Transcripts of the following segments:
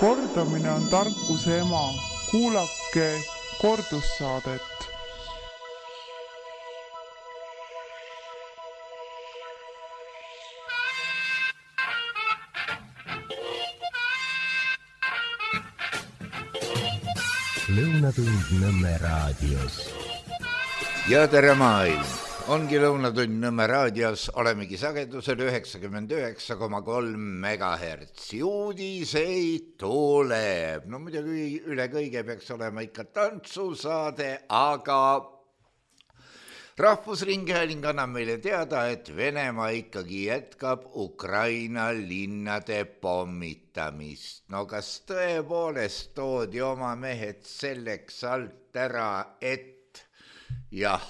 Kordamine on tarkuse ema. Kuulake kordussaadet. Lõunatund Nõmme raadios. Ja tere maailm! Ongi Lõunatund Nõmme raadios, olemegi sagedusel 99,3 MHz. Uudiseid tuleb. No muidugi üle kõige peaks olema ikka tantsusaade, aga Rahvusringhääling annab meile teada, et Venemaa ikkagi jätkab Ukraina linnade pommitamist. No kas tõepoolest toodi oma mehed selleks alt ära, et jah,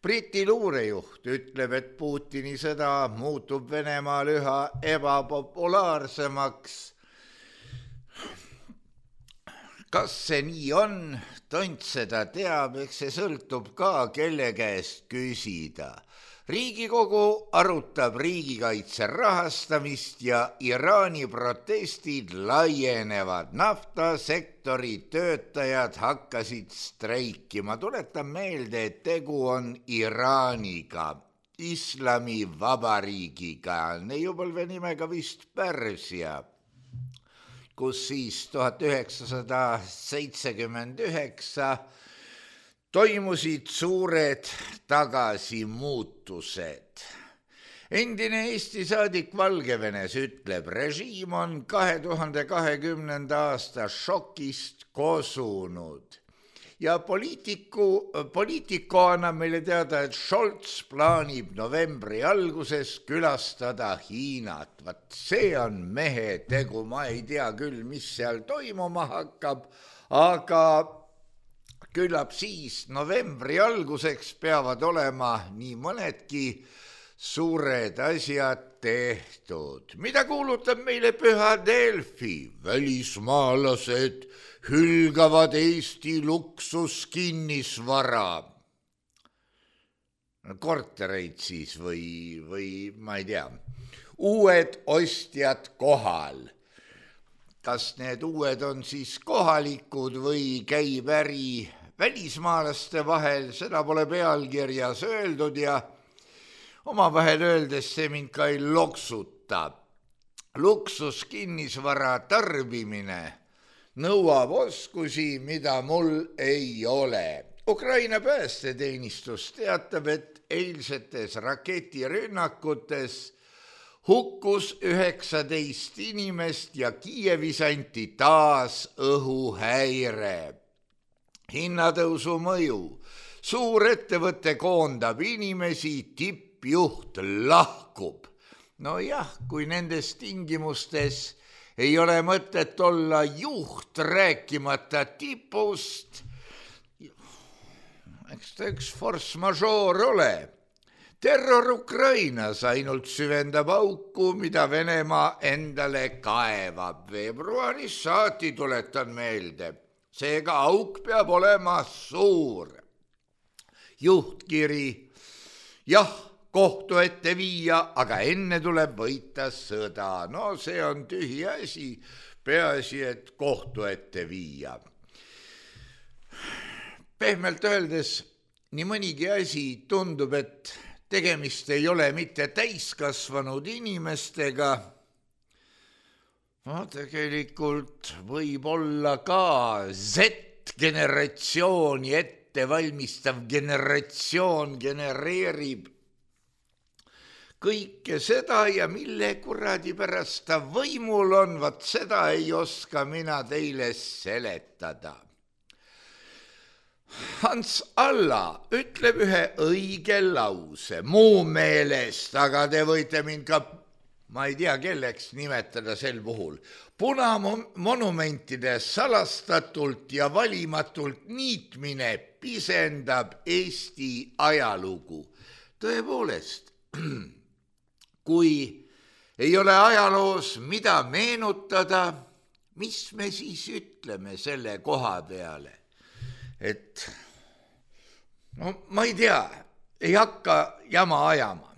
Briti luurejuht ütleb, et Putini sõda muutub Venemaal üha ebapopulaarsemaks. Kas see nii on? Tont seda teab, eks see sõltub ka, kelle käest küsida. Riigikogu arutab riigikaitse rahastamist ja Iraani protestid laienevad. Naftasektori töötajad hakkasid streikima. Tuletan meelde, et tegu on Iraaniga, Islamivabariigiga, neiupõlve nimega vist Pärsia, kus siis 1979 toimusid suured tagasimuutused. Endine Eesti saadik Valgevenes ütleb, režiim on 2020. aasta šokist kosunud. Ja poliitiku annab meile teada, et Scholz plaanib novembri alguses külastada Hiinat. Vat see on mehe tegu, ma ei tea küll, mis seal toimuma hakkab, aga küllap siis novembri alguseks peavad olema nii mõnedki suured asjad tehtud. Mida kuulutab meile püha Delfi? Välismaalased hülgavad Eesti luksuskinnisvara. Kortereid siis või ma ei tea. Uued ostjad kohal. Kas need uued on siis kohalikud või käib äri välismaalaste vahel, seda pole pealkirjas öeldud ja omavahel öeldes see mind ka ei loksuta. Luksuskinnisvara tarbimine nõuab oskusi, mida mul ei ole. Ukraina päästeteenistus teatab, et eilsetes raketirünnakutes hukkus 19 inimest ja Kiievis anti taas õhuhäire. Hinnatõusu mõju. Suurettevõte koondab inimesi, tippjuht lahkub. No jah, kui nendes tingimustes ei ole mõtet olla juht rääkimata tipust, eks ta üks force majeure ole. Terror Ukrainas ainult süvendab auku, mida Venemaa endale kaevab. Veebruaris saati, tuletan meelde. Seega auk peab olema suur. Juhtkiri, jah, kohtu ette viia, aga enne tuleb võita sõda. No see on tühi asi, peaasi, et kohtu ette viia. Pehmelt öeldes, nii mõnigi asi tundub, et tegemist ei ole mitte täiskasvanud inimestega. No tegelikult võib olla ka Z-generatsiooni ettevalmistav generatsioon genereerib kõike seda ja mille kuradi pärast ta võimul on, vaat seda ei oska mina teile seletada. Hans Alla ütleb ühe õige lause, muu meelest, aga te võite mind ka, ma ei tea, kelleks nimetada sel puhul. Punamonumentide salastatult ja valimatult niitmine pisendab Eesti ajalugu. Tõepoolest, kui ei ole ajaloos mida meenutada, mis me siis ütleme selle koha peale? Et no ma ei tea, ei hakka jama ajama.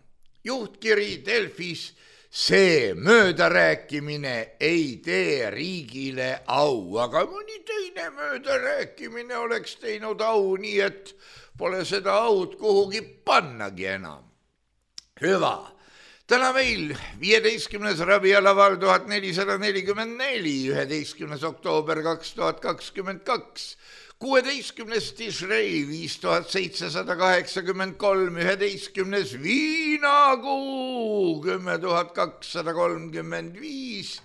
Juhtkiri Delfis see möödarääkimine ei tee riigile au, aga mõni teine möödarääkimine oleks teinud au, nii et pole seda aud kuhugi pannagi enam. Hüva. Täna meil 15. rabialaval 1444, 11. oktoober 2022, 16. Tishrei 5783, 11. viinakuu 10235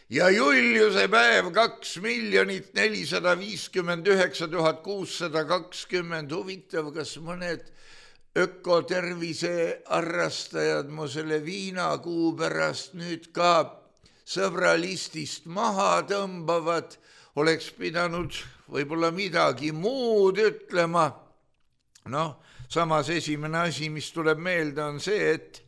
ja Juliuse päev 2 459 620. Huvitav, kas mõned ökotervise arrastajad mu selle viinakuu pärast nüüd ka sõbralistist maha tõmbavad, oleks pidanud võib-olla midagi muud ütlema. Noh, samas esimene asi, mis tuleb meelde, on see, et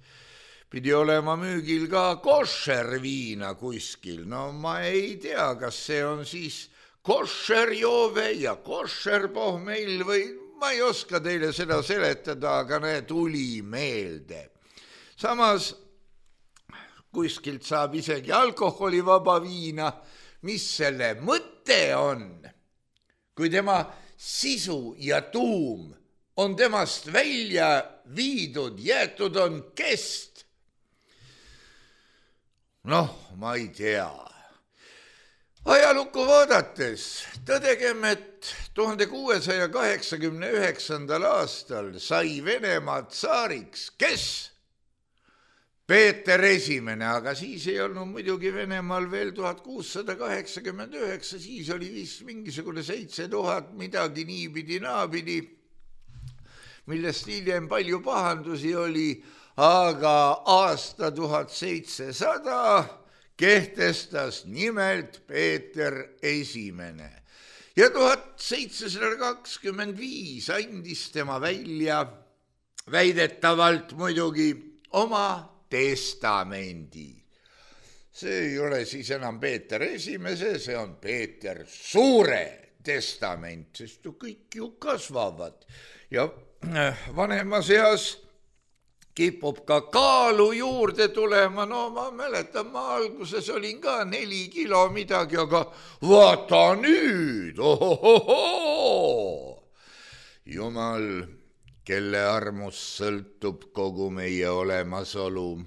pidi olema müügil ka koššer viina kuskil. No ma ei tea, kas see on siis koššer joove ja koššer pohmell või ma ei oska teile seda seletada, aga näe, tuli meelde. Samas kuskilt saab isegi alkoholivaba viina. Mis selle mõte on, kui tema sisu ja tuum on temast välja viidud, jäetud on kest? Noh, ma ei tea. Ajalukku vaadates tõdegem, et 1689. aastal sai Venemaa tsaariks, kes? Peeter Esimene, aga siis ei olnud muidugi Venemaal veel 1689, siis oli vist mingisugune 7000 midagi niipidi naapidi, millest hiljem palju pahandusi oli, aga aasta 1700 kehtestas nimelt Peeter Esimene ja 1725 andis tema välja väidetavalt muidugi oma testamendi. See ei ole siis enam Peeter Esimese, see on Peeter Suure testament, sest kõik ju kasvavad ja vanemas eas kipub ka kaalu juurde tulema. No ma mäletan, ma alguses olin ka 4 kilo midagi, aga vaata nüüd, ohohoho! Jumal, kelle armust sõltub kogu meie olemasolu,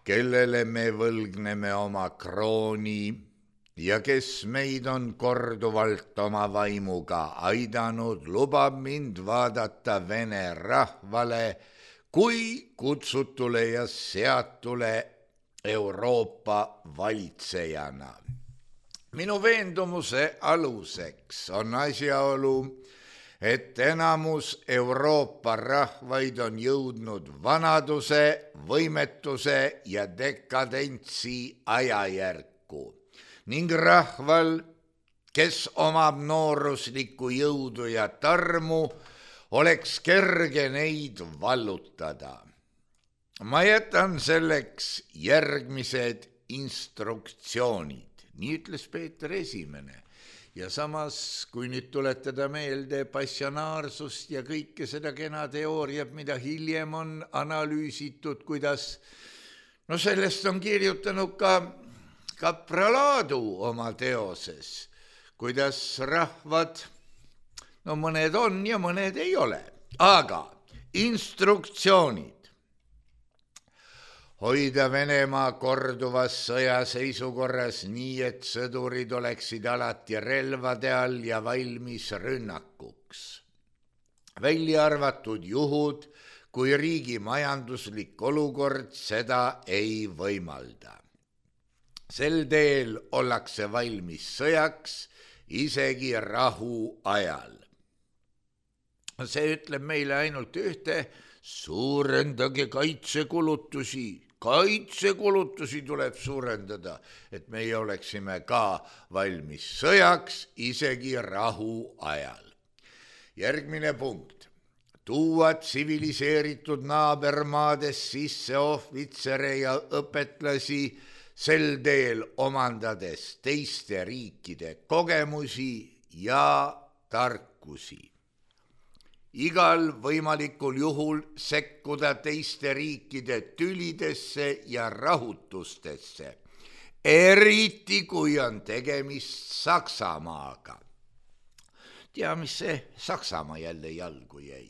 kellele me võlgneme oma krooni ja kes meid on korduvalt oma vaimuga aidanud, lubab mind vaadata vene rahvale kui kutsutule ja seatule Euroopa valitsejana. Minu veendumuse aluseks on asjaolu, et enamus Euroopa rahvaid on jõudnud vanaduse, võimetuse ja dekadentsi ajajärku ning rahval, kes omab nooruslikku jõudu ja tarmu, oleks kerge neid vallutada. Ma jätan selleks järgmised instruktsioonid, nii ütles Peeter Esimene. Ja samas, kui nüüd tuletada meelde passionaarsust ja kõike seda kena teooriat, mida hiljem on analüüsitud, kuidas, no sellest on kirjutanud ka Kapralaadu oma teoses, kuidas rahvad, no mõned on ja mõned ei ole, aga instruktsioonid. Hoida Venemaa korduvas sõjaseisukorras nii, et sõdurid oleksid alati relvade all ja valmis rünnakuks. Välja arvatud juhud, kui riigi majanduslik olukord seda ei võimalda. Sel teel ollakse valmis sõjaks isegi rahu ajal. See ütleb meile ainult ühte, suurendage kaitsekulutusi. Kaitsekulutusi tuleb suurendada, et meie oleksime ka valmis sõjaks isegi rahu ajal. Järgmine punkt. Tuua tsiviliseeritud naabermaades sisse ohvitsere ja õpetlasi, sel teel omandades teiste riikide kogemusi ja tarkusi. igal võimalikul juhul sekkuda teiste riikide tülidesse ja rahutustesse, eriti kui on tegemist Saksamaaga. Tea, mis see Saksamaa jälle jalgu jäi.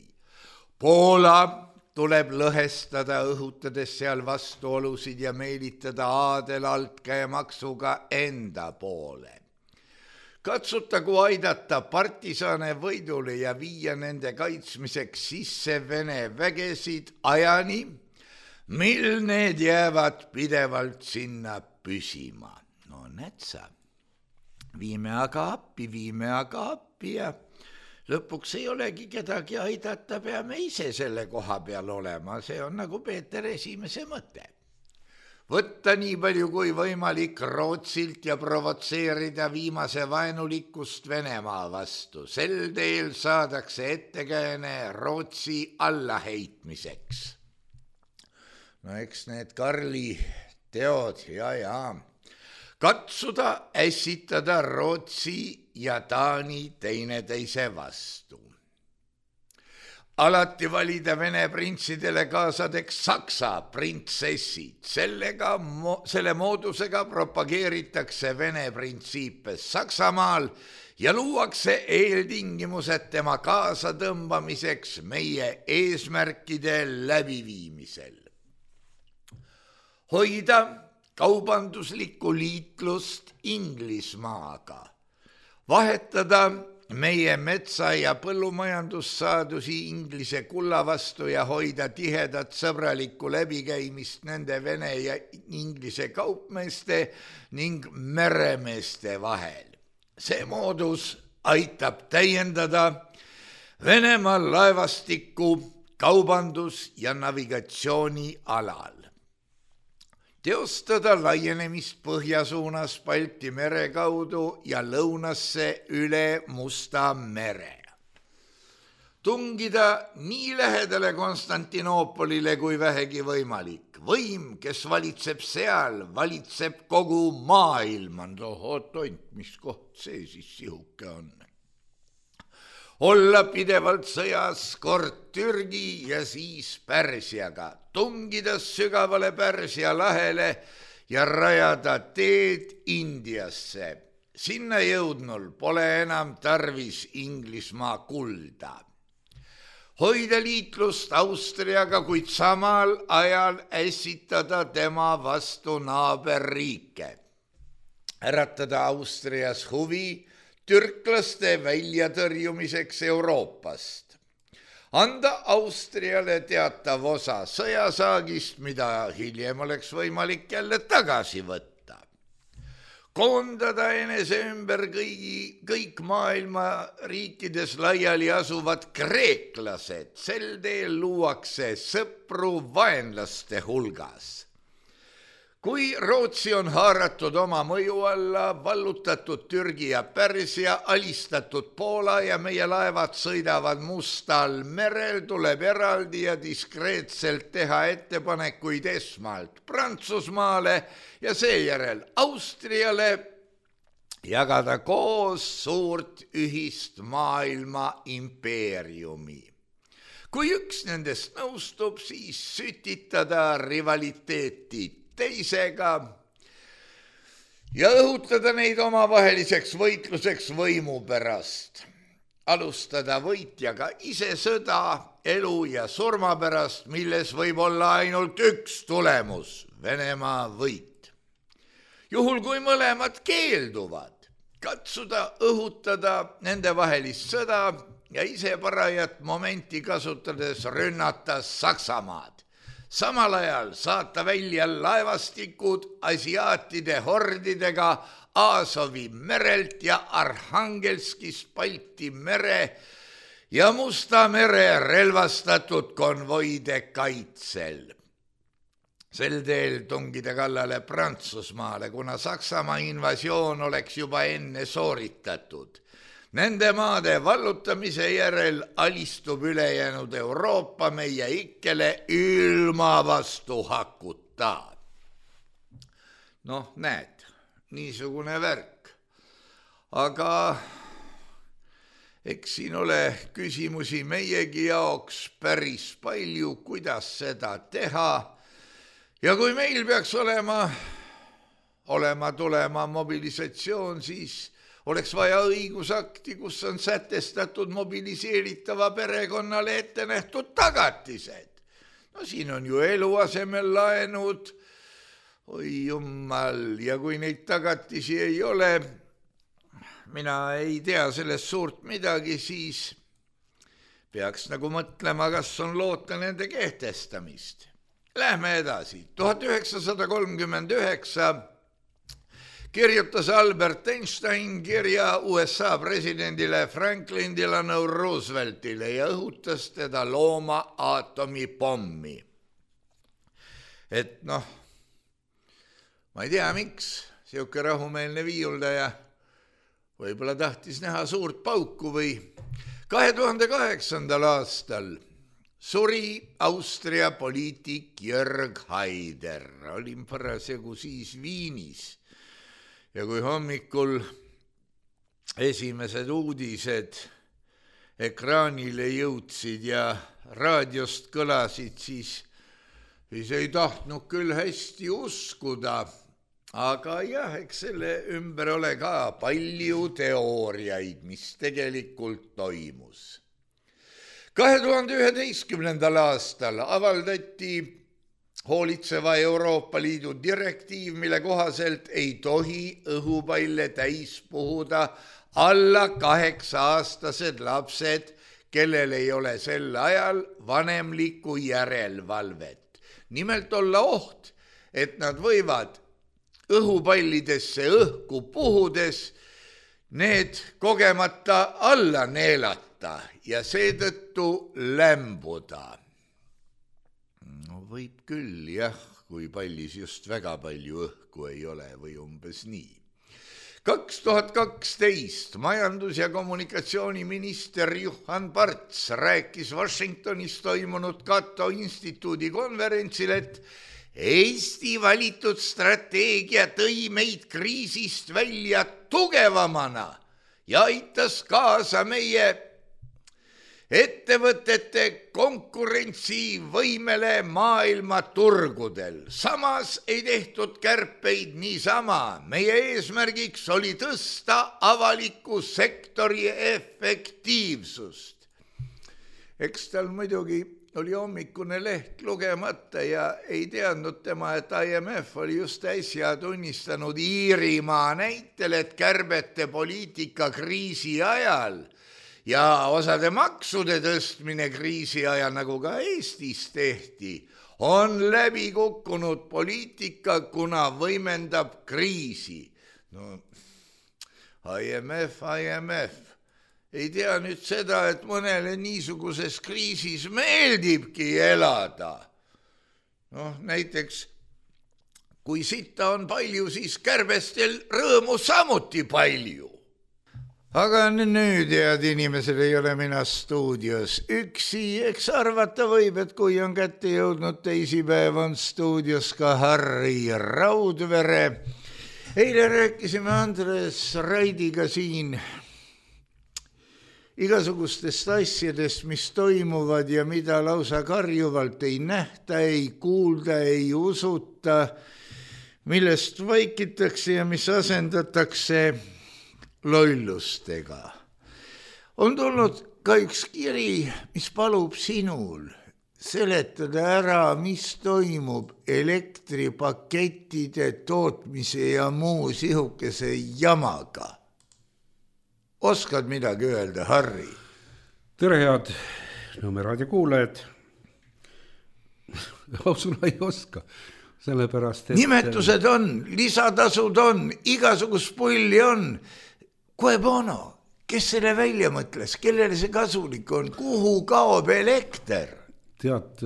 Poola tuleb lõhestada, õhutades seal vastuolusid ja meelitada aadel altkäemaksuga enda poole. Katsutagu aidata partisane võidule ja viia nende kaitsmiseks sisse Vene vägesid ajani, mil need jäävad pidevalt sinna püsima. No näed sa, viime aga appi ja lõpuks ei olegi kedagi aidata, peame ise selle koha peal olema, see on nagu Peeter Esimese mõte. Võtta nii palju kui võimalik Rootsilt ja provotseerida viimase vaenulikkust Venemaa vastu. Sel teel saadakse ettekääne Rootsi allaheitmiseks. No eks need Karli teod, ja. Katsuda ässitada Rootsi ja Taani teineteise vastu. Alati valida Vene printsidele kaasadeks Saksa printsessid. Selle moodusega propageeritakse Vene printsiipe Saksamaal ja luuakse eeltingimused tema kaasatõmbamiseks meie eesmärkide läbiviimisel. Hoida kaubanduslikku liitlust Inglismaaga, vahetada meie metsa- ja põllumajandussaadusi Inglise kulla vastu ja hoida tihedat sõbralikku läbikäimist nende Vene ja Inglise kaupmeeste ning meremeeste vahel. See moodus aitab täiendada Venemaa laevastikku kaubandus- ja navigatsiooni alal. Teostada laienemist põhja suunas Balti mere kaudu ja lõunasse üle Musta mere. Tungida nii lähedale Konstantinoopolile kui vähegi võimalik. Võim, kes valitseb seal, valitseb kogu maailma. Oot, mis koht see siis sihuke on? Olla pidevalt sõjas kord Türgi ja siis Pärsiaga, tungida sügavale Pärsia lahele ja rajada teed Indiasse. Sinna jõudnul pole enam tarvis Inglismaa kulda. Hoida liitlust Austriaga, kuid samal ajal ässitada tema vastu naaberriike. Äratada Austrias huvi türklaste väljatõrjumiseks Euroopast. Anda Austriale teatav osa sõjasaagist, mida hiljem oleks võimalik jälle tagasi võtta. Koondada enese ümber kõik maailma riikides laiali asuvad kreeklased. Sel teel luuakse sõpru vaenlaste hulgas. Kui Rootsi on haaratud oma mõju alla, vallutatud Türgi ja Pärsia, alistatud Poola ja meie laevad sõidavad Mustal merel, tuleb eraldi ja diskreetselt teha ettepanekuid esmalt Prantsusmaale ja seejärel Austriale jagada koos suurt ühist maailma impeeriumi. Kui üks nendest nõustub, siis sütitada rivaliteeti teisega ja õhutada neid omavaheliseks võitluseks võimu pärast. Alustada võitjaga ise sõda elu ja surma pärast, milles võib olla ainult üks tulemus, Venemaa võit. Juhul kui mõlemad keelduvad, katsuda õhutada nende vahelist sõda ja ise parajat momenti kasutades rünnata Saksamaad. Samal ajal saata välja laevastikud asiaatide hordidega Aasovi merelt ja Arhangelskist Balti mere ja Musta mere relvastatud konvoide kaitsel. Sel teel tungida kallale Prantsusmaale, kuna Saksamaa invasioon oleks juba enne sooritatud. Nende maade vallutamise järel alistub ülejäänud Euroopa meie ikkele ilma vastu hakuta. Noh, näed, niisugune värk. Aga eks siin ole küsimusi meiegi jaoks päris palju, kuidas seda teha. Ja kui meil peaks tulema mobilisatsioon, siis oleks vaja õigusakti, kus on sätestatud mobiliseeritava perekonnale ette nähtud tagatised. No siin on ju eluasemel laenud, oi jummal, ja kui neid tagatisi ei ole, mina ei tea sellest suurt midagi, siis peaks nagu mõtlema, kas on loota nende kehtestamist. Lähme edasi. 1939 kirjutas Albert Einstein kirja USA presidendile Franklin Delano Rooseveltile ja õhutas teda looma aatomipommi. Et noh, ma ei tea, miks siuke rahumeelne viiuldaja võib-olla tahtis näha suurt pauku või 2008. aastal suri Austria poliitik Jörg Haider. Olin parasjagu siis Viinis ja kui hommikul esimesed uudised ekraanile jõudsid ja raadiost kõlasid, siis ei tahtnud küll hästi uskuda. Aga jah, eks selle ümber ole ka palju teooriaid, mis tegelikult toimus. 2011. aastal avaldati hoolitseva Euroopa Liidu direktiiv, mille kohaselt ei tohi õhupalle täis puhuda alla 8-aastased lapsed, kellel ei ole sel ajal vanemlikku järelevalvet. Nimelt olla oht, et nad võivad õhupallidesse õhku puhudes need kogemata alla neelata ja seetõttu lämbuda. No võib küll, jah, kui pallis just väga palju õhku ei ole või umbes nii. 2012 majandus- ja kommunikatsiooniminister Juhan Parts rääkis Washingtonis toimunud Cato instituudi konverentsil, et Eesti valitud strateegia tõi meid kriisist välja tugevamana ja aitas kaasa meie ettevõtete konkurentsivõimele maailma turgudel. Samas ei tehtud kärpeid niisama. Meie eesmärgiks oli tõsta avaliku sektori efektiivsust. Eks tal muidugi oli hommikune leht lugemata ja ei teadnud tema, et IMF oli just äsja tunnistanud Iirimaa näitel, et kärbete poliitika kriisi ajal ja osade maksude tõstmine kriisi ajal, nagu ka Eestis tehti, on läbi kukkunud poliitika, kuna võimendab kriisi. No, IMF. Ei tea nüüd seda, et mõnele niisuguses kriisis meeldibki elada. Noh, näiteks, kui sitta on palju, siis kärbestel rõõmu samuti palju. Aga nüüd, head inimesed, ei ole mina stuudios üksi. Eks arvata võib, et kui on kätte jõudnud teisipäev, on stuudios ka Harri Raudvere. Eile rääkisime Andres Raidiga siin igasugustest asjadest, mis toimuvad ja mida lausa karjuvalt ei nähta, ei kuulda, ei usuta, millest vaikitakse ja mis asendatakse lollustega. On tulnud ka üks kiri, mis palub sinul seletada ära, mis toimub elektripakettide tootmise ja muu sihukese jamaga. Oskad midagi öelda, Harri? Tere, head Nõmme raadio kuulajad. Ausuna ei oska, sellepärast, et nimetused on, lisatasud on, igasugust pulli on. Cui bono, kes selle välja mõtles, kellele see kasulik on, kuhu kaob elekter? Tead,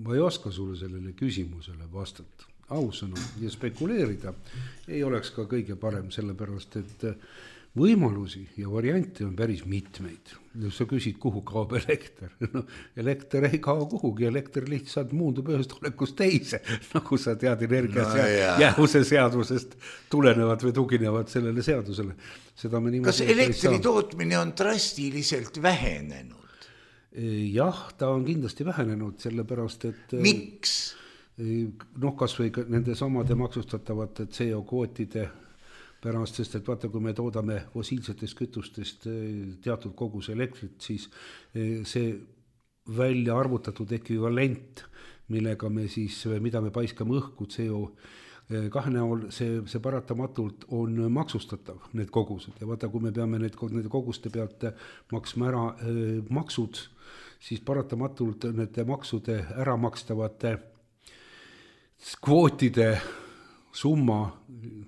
ma ei oska sulle sellele küsimusele vastata. Ausõna ja spekuleerida ei oleks ka kõige parem, sellepärast, et võimalusi ja variante on päris mitmeid. Sa küsid, kuhu kaob elekter. No, elekter ei kao kuhugi, elekter lihtsalt muundub ühest olekust teise, nagu sa tead jäävuse seadusest tulenevad või tuginevad sellele seadusele. Kas elektri tootmine on drastiliselt vähenenud? Jah, ta on kindlasti vähenenud, sellepärast, et... Miks? Kas või nende samade maksustatavate CO-kvootide pärast, sest et vaata, kui me toodame fossiilsetest kütustest teatud kogus elektrit, siis see välja arvutatud ekvivalent, millega me siis, mida me paiskame õhku CO2 näol, see paratamatult on maksustatav, need kogused. Ja vaata, kui me peame need koguste pealt maksma ära maksud, siis paratamatult nende maksude ära makstavate kvootide summa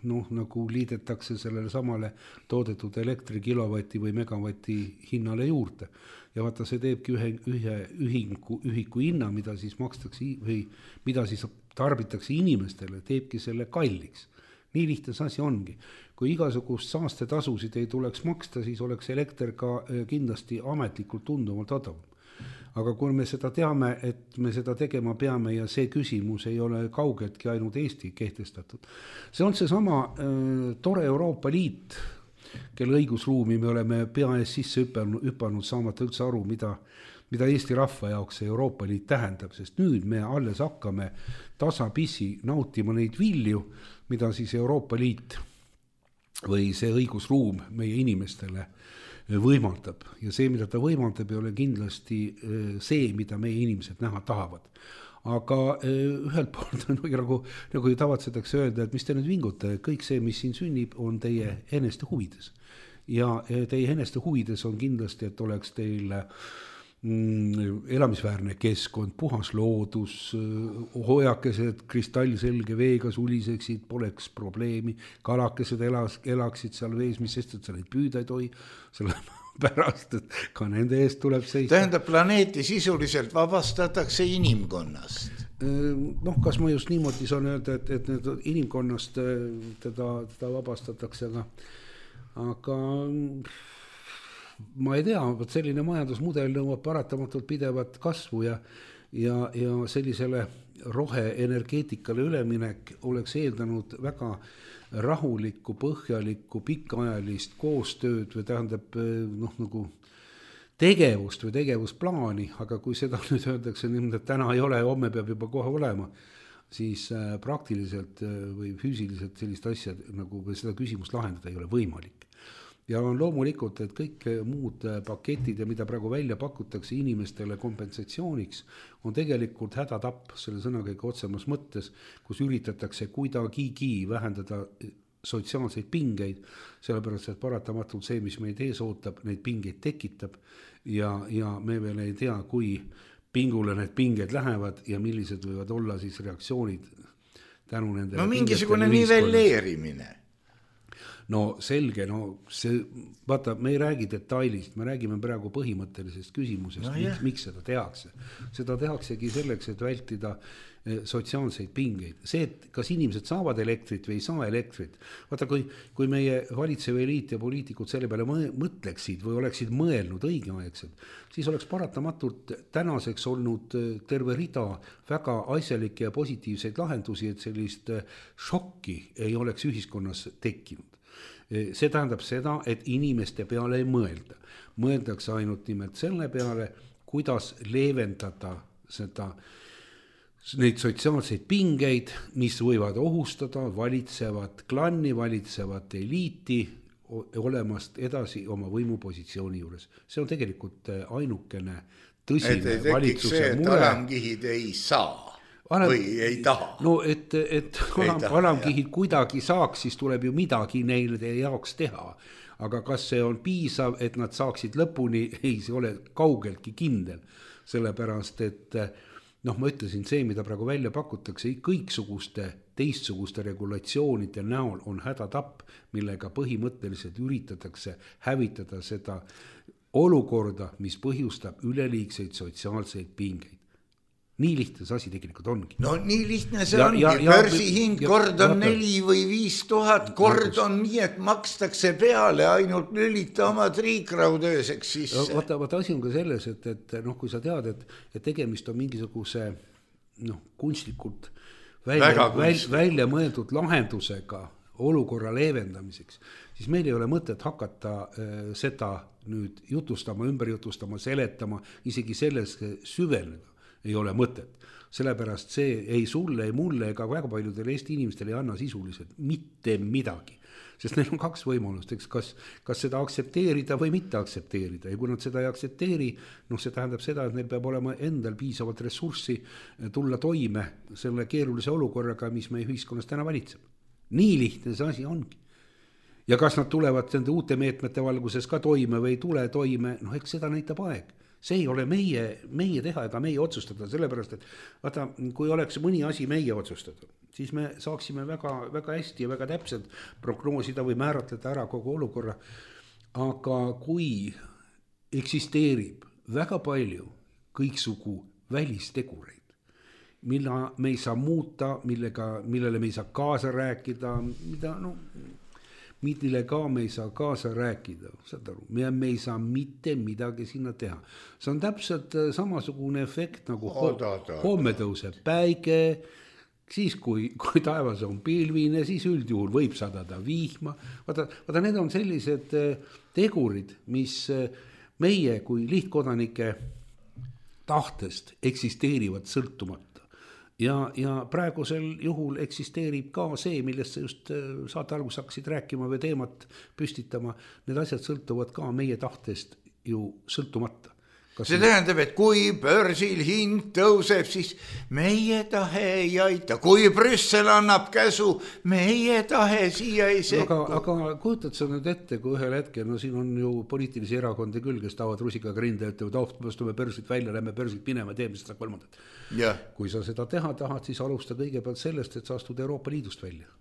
nagu liidetakse sellele samale toodetud elektri kilovati või megavati hinnale juurde. Ja vaata, see teebki ühe ühiku hinna, mida siis makstakse või mida siis tarbitakse inimestele, teebki selle kalliks. Nii lihtne asi ongi. Kui igasugust saastetasusid ei tuleks maksta, siis oleks elekter ka kindlasti ametlikult tunduvalt odavam. Aga kui me seda teame, et me seda tegema peame ja see küsimus ei ole kaugeltki ainult Eesti kehtestatud. See on see sama tore Euroopa Liit, kelle õigusruumi me oleme pea ees sisse hüpanud saamata üldse aru, mida Eesti rahva jaoks see Euroopa Liit tähendab, sest nüüd me alles hakkame tasapisi nautima neid vilju, mida siis Euroopa Liit või see õigusruum meie inimestele võimaldab. Ja see, mida ta võimaldab, ei ole kindlasti see, mida meie inimesed näha tahavad. Aga ühelt poolt nagu ju tavatsetakse öelda, et mis te nüüd vingute, kõik see, mis siin sünnib, on teie eneste huvides. Ja teie eneste huvides on kindlasti, et oleks teil elamisväärne keskkond, puhas loodus, hoiakesed kristallselge veega suliseksid, poleks probleemi, kalakesed elaksid seal vees, mis sest, et sa neid püüda ei tohi, sellepärast, et ka nende eest tuleb seista. Tähendab, planeeti sisuliselt vabastatakse inimkonnast? Kas ma just niimoodi saan öelda, et need inimkonnast teda vabastatakse, aga ma ei tea, selline majandusmudel nõuab paratamatult pidevat kasvu ja sellisele roheenergeetikale üleminek oleks eeldanud väga rahulikku, põhjalikku, pikaajalist koostööd või tähendab nagu tegevust või tegevusplaani, aga kui seda nüüd öeldakse niimoodi, et täna ei ole ja homme peab juba kohe olema, siis praktiliselt või füüsiliselt sellist asja nagu seda küsimust lahendada ei ole võimalik. Ja on loomulikult, et kõik muud paketid ja mida praegu välja pakutakse inimestele kompensatsiooniks, on tegelikult hädatapp selle sõnakõige otsemas mõttes, kus üritatakse kuidagigi vähendada sotsiaalseid pingeid, sellepärast, et paratamatult see, mis meid ees ootab, neid pingeid tekitab ja me veel ei tea, kui pingule need pinged lähevad ja millised võivad olla siis reaktsioonid tänu nendele. Mingisugune nivelleerimine. Selge, see, vaata, me ei räägi detailist, me räägime praegu põhimõttelisest küsimusest, miks seda tehakse. Seda tehaksegi selleks, et vältida sotsiaalseid pingeid. See, et kas inimesed saavad elektrit või ei saa elektrit. Vaata, kui meie valitsev eliit ja poliitikud selle peale mõtleksid või oleksid mõelnud õigeaegselt, siis oleks paratamatult tänaseks olnud terve rida väga asjalikke ja positiivseid lahendusi, et sellist šokki ei oleks ühiskonnas tekkinud. See tähendab seda, et inimeste peale ei mõelda. Mõeldakse ainult nimelt selle peale, kuidas leevendada neid sotsiaalseid pingeid, mis võivad ohustada valitsevat klanni, valitsevat eliiti olemast edasi oma võimupositsiooni juures. See on tegelikult ainukene tõsine valitsuse mure. Et alamkihid ei saa. Või ei taha. Et alamkihid kuidagi saaks, siis tuleb ju midagi neile jaoks teha. Aga kas see on piisav, et nad saaksid lõpuni, ei, see ole kaugeltki kindel. Sellepärast, et ma ütlesin, see, mida praegu välja pakutakse, kõiksuguste teistsuguste regulatsioonide näol on hädatapp, millega põhimõtteliselt üritatakse hävitada seda olukorda, mis põhjustab üleliigseid sotsiaalseid pingeid. nii lihtne see asi tegelikult ongi. No nii lihtne see ongi, börsihind kord on 4 või 5 000, kord on nii, et makstakse peale ainult lülita oma triikraud ööseks sisse. Vaata asi on ka selles, et kui sa tead, et tegemist on mingisuguse kunstlikult välja mõeldud lahendusega olukorra leevendamiseks, siis meil ei ole mõtet hakata seda nüüd jutustama, ümber jutustama, seletama, isegi selles süveneda ei ole mõtet. Sellepärast see ei sulle, ei mulle ega väga paljudele Eesti inimestele ei anna sisuliselt mitte midagi. Sest neil on 2 võimalust, eks, kas seda aktsepteerida või mitte aktsepteerida. Ja kui nad seda ei aktsepteeri, see tähendab seda, et neil peab olema endal piisavalt ressurssi tulla toime selle keerulise olukorraga, mis meie ühiskonnas täna valitseb. Nii lihtne see asi ongi. Ja kas nad tulevad nende uute meetmete valguses ka toime või ei tule toime, eks seda näitab aeg. See ei ole meie teha ega meie otsustada, sellepärast, et vaata, kui oleks mõni asi meie otsustada, siis me saaksime väga, väga hästi ja väga täpselt prognoosida või määratleda ära kogu olukorra. Aga kui eksisteerib väga palju kõiksugu välistegureid, mille me ei saa muuta, millele me ei saa kaasa rääkida, millele ka me ei saa kaasa rääkida, saad aru, me ei saa mitte midagi sinna teha. See on täpselt samasugune efekt nagu homme tõuseb päike, siis kui taevas on pilvine, siis üldjuhul võib sadada vihma. Vaata, need on sellised tegurid, mis meie kui lihtkodanike tahtest eksisteerivad sõltumata. Ja praegusel juhul eksisteerib ka see, millest sa just saate algus hakkasid rääkima või teemat püstitama. Need asjad sõltuvad ka meie tahtest ju sõltumata. See tähendab, et kui börsil hind tõuseb, siis meie tahe ei aita. Kui Brüssel annab käsu, meie tahe siia ei sekku. Aga kujutad sa nüüd ette, kui ühel hetkel, siin on ju poliitilisi erakondi küll, kes tahavad rusikaga rinde, ütlevad, astume börsilt välja, lähme börsilt minema, teeme seda 3. Ja. Kui sa seda teha tahad, siis alusta kõigepealt sellest, et sa astud Euroopa Liidust välja.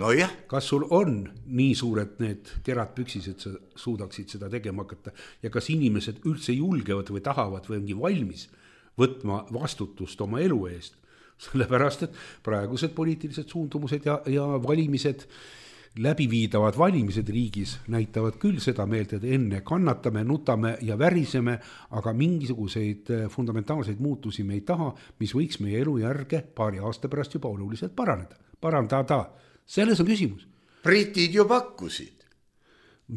No jah. Kas sul on nii suured need kerad püksis, et sa suudaksid seda tegema hakata ja kas inimesed üldse julgevad või tahavad või ongi valmis võtma vastutust oma elu eest, sellepärast et praegused poliitilised suundumused ja valimised, läbiviidavad valimised riigis näitavad küll seda meelt, et enne kannatame, nutame ja väriseme, aga mingisuguseid fundamentaalseid muutusi me ei taha, mis võiks meie elujärge paari aasta pärast juba oluliselt parandada. Selles on küsimus. Britid ju pakkusid.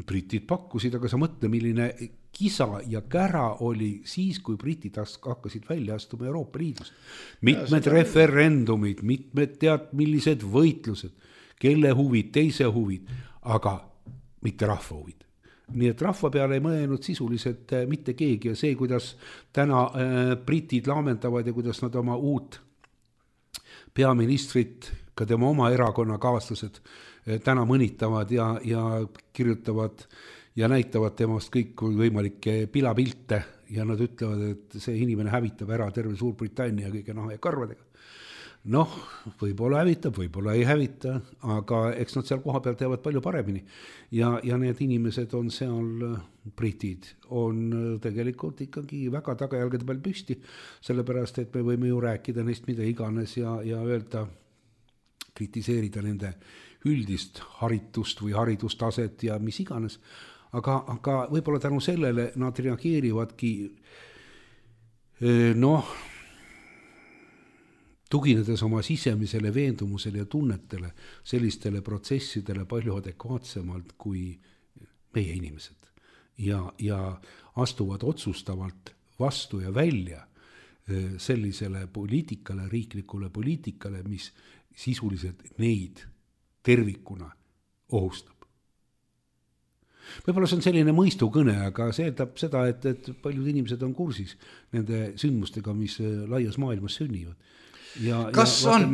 Britid pakkusid, aga sa mõtle, milline kisa ja kära oli siis, kui britid hakkasid välja astuma Euroopa Liidust. Mitmed referendumid, mitmed millised võitlused, kelle huvid, teise huvid, aga mitte rahva huvid. Nii et rahva peale ei mõelnud sisuliselt mitte keegi ja see, kuidas täna britid laamendavad ja kuidas nad oma uut peaministrit, ka tema oma erakonna kaaslased täna mõnitavad ja kirjutavad ja näitavad temast kõik võimalikke pilapilte ja nad ütlevad, et see inimene hävitab ära terve Suurbritannia kõige naha ja karvadega. Võib-olla hävitab, võib-olla ei hävita, aga eks nad seal koha peal teavad palju paremini. Ja need inimesed on seal, britid, on tegelikult ikkagi väga tagajalgade peal püsti, sellepärast, et me võime ju rääkida neist mida iganes ja öelda, kritiseerida nende üldist haritust või haridustaset ja mis iganes. Aga võib-olla tänu sellele nad reageerivadki tuginedes oma sisemisele veendumusele ja tunnetele sellistele protsessidele palju adekvaatsemalt kui meie inimesed ja astuvad otsustavalt vastu ja välja sellisele poliitikale, riiklikule poliitikale, mis sisuliselt neid tervikuna ohustab. Võib-olla see on selline mõistukõne, aga see tähendab seda, et paljud inimesed on kursis nende sündmustega, mis laias maailmas sünnivad. Kas on?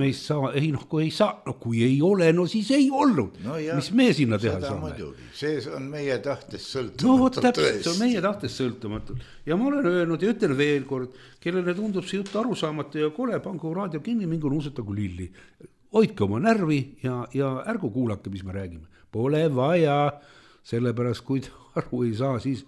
Kui ei ole, siis ei olnud. Mis me sinna teha saame? See on meie tahtest sõltumatult. Täpselt, see on meie tahtest sõltumatult. Ja ma olen öelnud ja ütlen veel kord, kellele tundub see jutt arusaamatu ja kole, pangu raadio kinni, mingu nuusutagu lilli. Hoidke oma närvi ja ärgu kuulake, mis me räägime. Pole vaja, sellepärast kui aru ei saa, siis...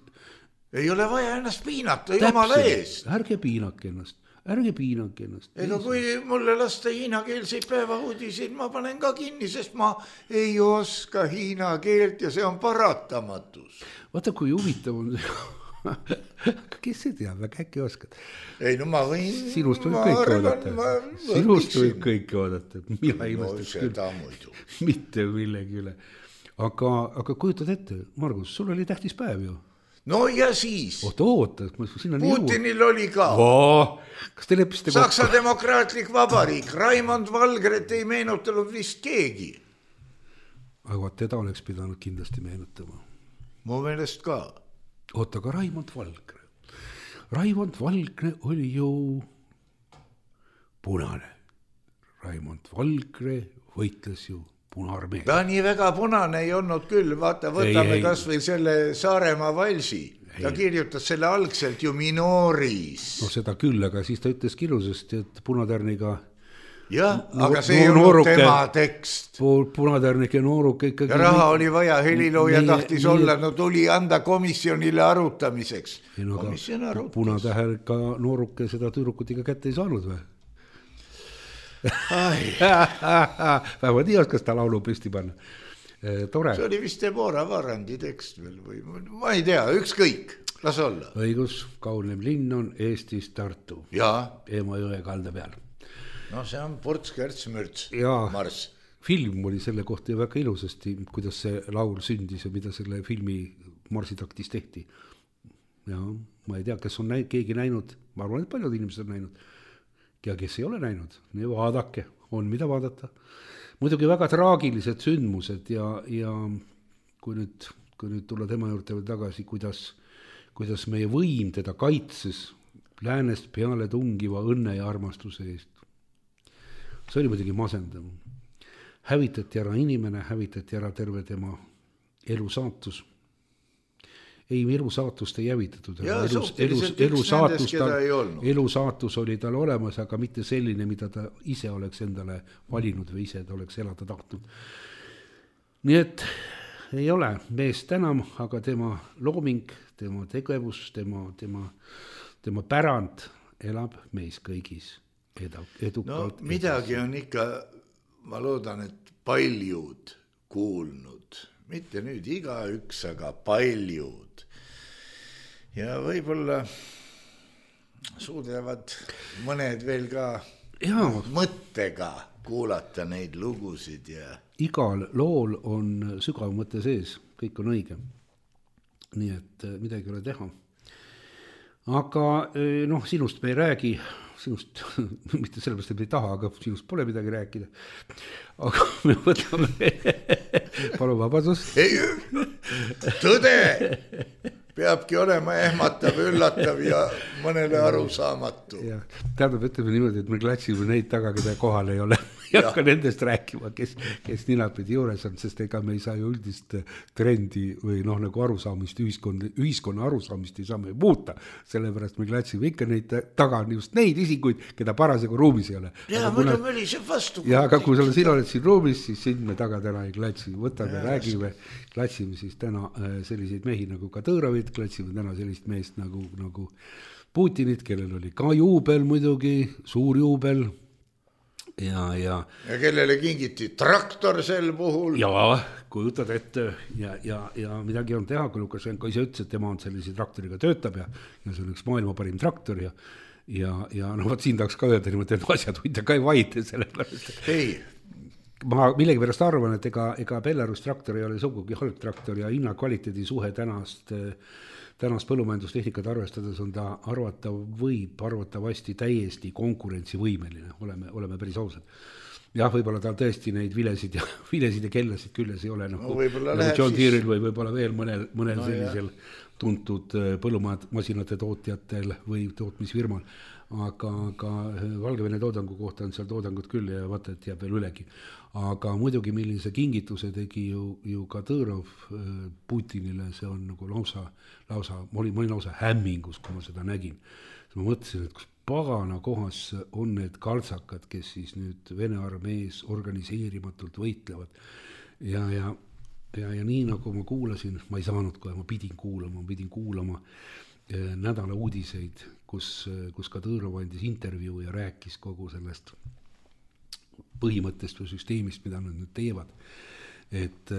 Ei ole vaja ennast piinata, jumala eest. Ärge piinake ennast. ärge piinake ennast. Ega kui mulle lasta hiinakeelseid päevauudiseid, ma panen ka kinni, sest ma ei oska hiina keelt ja see on paratamatus. Vaata, kui huvitav on see. Kes see teab, väga äkki oskad. Ei, no ma võin... Sinust võib kõike oodata. Sinust võib kõike oodata. Mina imestaks küll. Mitte millegi üle. Aga kujutad ette, Margus, sul oli tähtis päev ju. No ja siis. Oota. Putinil oli ka. Kas te leppisite Saksa demokraatlik vabariik. Raimond Valgret ei meenutanud vist keegi. Aga teda oleks pidanud kindlasti meenutama. Mu meelest ka. Oota, ka Raimond Valgre. Raimond Valgre oli ju punane. Raimond Valgre võitles ju Punaarmee. Ta nii väga punane ei olnud küll. Vaata, võtame kas või selle Saaremaa valsi. Ta kirjutas selle algselt ju minooris. No seda küll, aga siis ta ütles ilusasti, et punatärniga... Jah, aga see ei olnud tema tekst. Punatärnike nooruke ikkagi... Ja raha oli vaja, helilooja tahtis olla, no tuli anda komisjonile arutamiseks. Komisjon arutas. Punatähelga nooruke seda tüürukut iga kätte ei saanud või? Vähemalt nii oskas ta laulu püsti panna. Tore. See oli vist Deborah Varandi tekst veel või ma ei tea, ükskõik, las olla. Õigus, kaunim linn on Eestis Tartu. Emajõe kalda peal. No see on Ports-Kärts-Mürts, Mars. Film oli selle kohta väga ilusasti, kuidas see laul sündis ja mida selle filmi marsitaktis tehti. Ja ma ei tea, kes on keegi näinud, ma arvan, et paljud inimesed on näinud. Ja kes ei ole näinud, nii vaadake, on mida vaadata. Muidugi väga traagilised sündmused ja kui nüüd tulla tema juurde veel tagasi, kuidas meie võim teda kaitses läänest peale tungiva õnne ja armastuse eest. See oli muidugi masendav. Hävitati ära inimene, hävitati ära terve tema elu saatus. Ei, elu saatust ei hävitatud. Elu saatus oli tal olemas, aga mitte selline, mida ta ise oleks endale valinud või ise ta oleks elada tahtnud. Nii et ei ole meest enam, aga tema looming, tema tegevus, tema pärand elab meis kõigis. Edukalt. No midagi on ikka, ma loodan, et paljud kuulnud. Mitte nüüd igaüks, aga paljud. Ja võib-olla suudavad mõned veel ka mõttega kuulata neid lugusid. Ja... Igal lool on sügav mõte sees, kõik on õige. Nii et midagi ole teha. Aga sinust me ei räägi, sinust, mitte sellepärast, et me ei taha, aga sinust pole midagi rääkida. Aga me võtame, palun vabadust. Tõde peabki olema ehmatav, üllatav ja mõnele arusaamatu. Tähendab, ütleme niimoodi, et me klatsime neid taga, keda kohal ei ole. Ja hakka nendest rääkima, kes ninapidi juures on, sest ega me ei saa ju üldist trendi või nagu arusaamist, ühiskonna arusaamist ei saa me muuta. Sellepärast me klatsime ikka neid taga, just neid isikuid, keda parasjagu ruumis ei ole. Muidu me oli see vastu. Ja aga kui sina oled siin ruumis, siis siin me taga täna ei klatsi. Võtame, räägime, klatsime siis täna selliseid mehi nagu Kadõrovit, klatsime täna sellist meest nagu Putinit, kellel oli ka juubel muidugi, suur juubel. Ja kellele kingiti traktor sel puhul. Ja kujutad ette ja midagi on teha, kui Lukašenko ise ütles, et tema on sellise traktoriga töötab ja see on üks maailma parim traktor ja võt siin tahaks ka öelda niimoodi, et asjad võita ka ei vaide sellepärast. Ei. Ma millegi pärast arvan, et ega Belarus traktor ei ole sugugi halb traktor ja hinna kvaliteedi suhe tänast põllumajandustehnikat arvestades on ta arvatavasti täiesti konkurentsivõimeline, oleme päris ausad. Jah, võib-olla tal tõesti neid vilesid ja kellasid külles ei ole nagu John Deere'il või võib-olla veel mõnel sellisel tuntud põllumasinate tootjatel või tootmisfirmal, aga Valgevene toodangu kohta on seal toodangut küll ja vaata, et jääb veel ülegi. Aga muidugi millise kingituse tegi ju Kadõrov Putinile, see on nagu lausa ma olin lausa hämmingus, kui ma seda nägin. Ma mõtlesin, et kus pagana kohas on need kaltsakad, kes siis nüüd Vene armees organiseerimatult võitlevad. Ja nii nagu ma kuulasin, ma ei saanud kohe, ma pidin kuulama nädala uudiseid, kus ka Tõõrov andis intervjuu ja rääkis kogu sellest põhimõttest või süsteemist, mida nad nüüd teevad. Et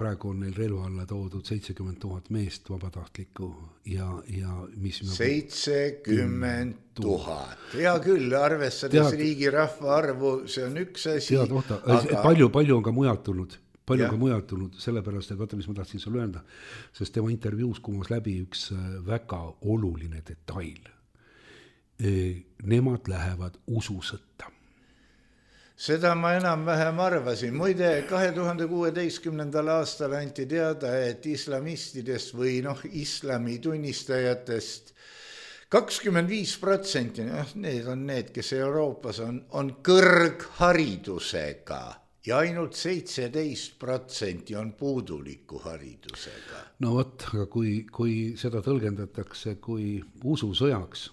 praegu on neil relva alla toodud 70 000 meest vabatahtlikku ja mis 70 000. Hea küll, arvestades riigi rahva arvu, see on üks asi. Aga... Palju on ka mujalt tulnud. Sellepärast, et vaata, mis ma tahtsin sulle öelda, sest tema intervjuus kumas läbi üks väga oluline detail. Nemad lähevad ususõtta. Seda ma enam-vähem arvasin. Muide, 2016. aastal anti teada, et islamistidest või islami tunnistajatest 25%, need on need, kes Euroopas on kõrgharidusega ja ainult 17% on puuduliku haridusega. No vot, aga kui seda tõlgendatakse kui ususõjaks,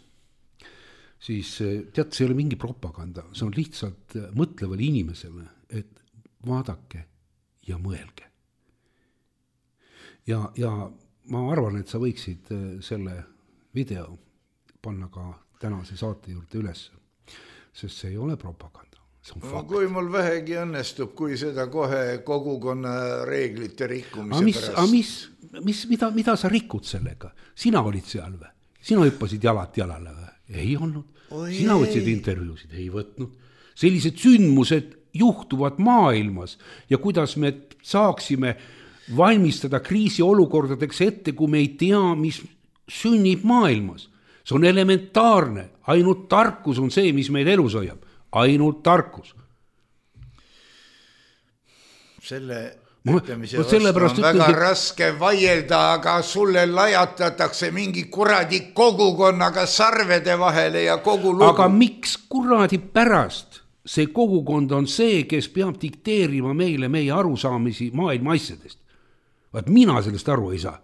siis tead, see ei ole mingi propaganda, see on lihtsalt mõtlevale inimesele, et vaadake ja mõelge. Ja ma arvan, et sa võiksid selle video panna ka tänase saate juurde üles, sest see ei ole propaganda, see on fakt. Kui mul vähegi õnnestub, kui seda kohe kogukonna reeglite rikkumise pärast. Mida sa rikud sellega? Sina olid seal või? Sina hüppasid jalad jalale või? Ei olnud. Sina võtsid intervjuusid, ei võtnud. Sellised sündmused juhtuvad maailmas ja kuidas me saaksime valmistada kriisiolukordadeks ette, kui me ei tea, mis sünnib maailmas. See on elementaarne. Ainult tarkus on see, mis meid elus hoiab. Ainult tarkus. Selle ütlemise vastu on väga raske vaielda, aga sulle lajatatakse mingi kuradi kogukonnaga sarvede vahele ja kogu lugu. Aga miks kuradi pärast? See kogukond on see, kes peab dikteerima meile meie arusaamisi maailma asjadest. Vaat mina sellest aru ei saa.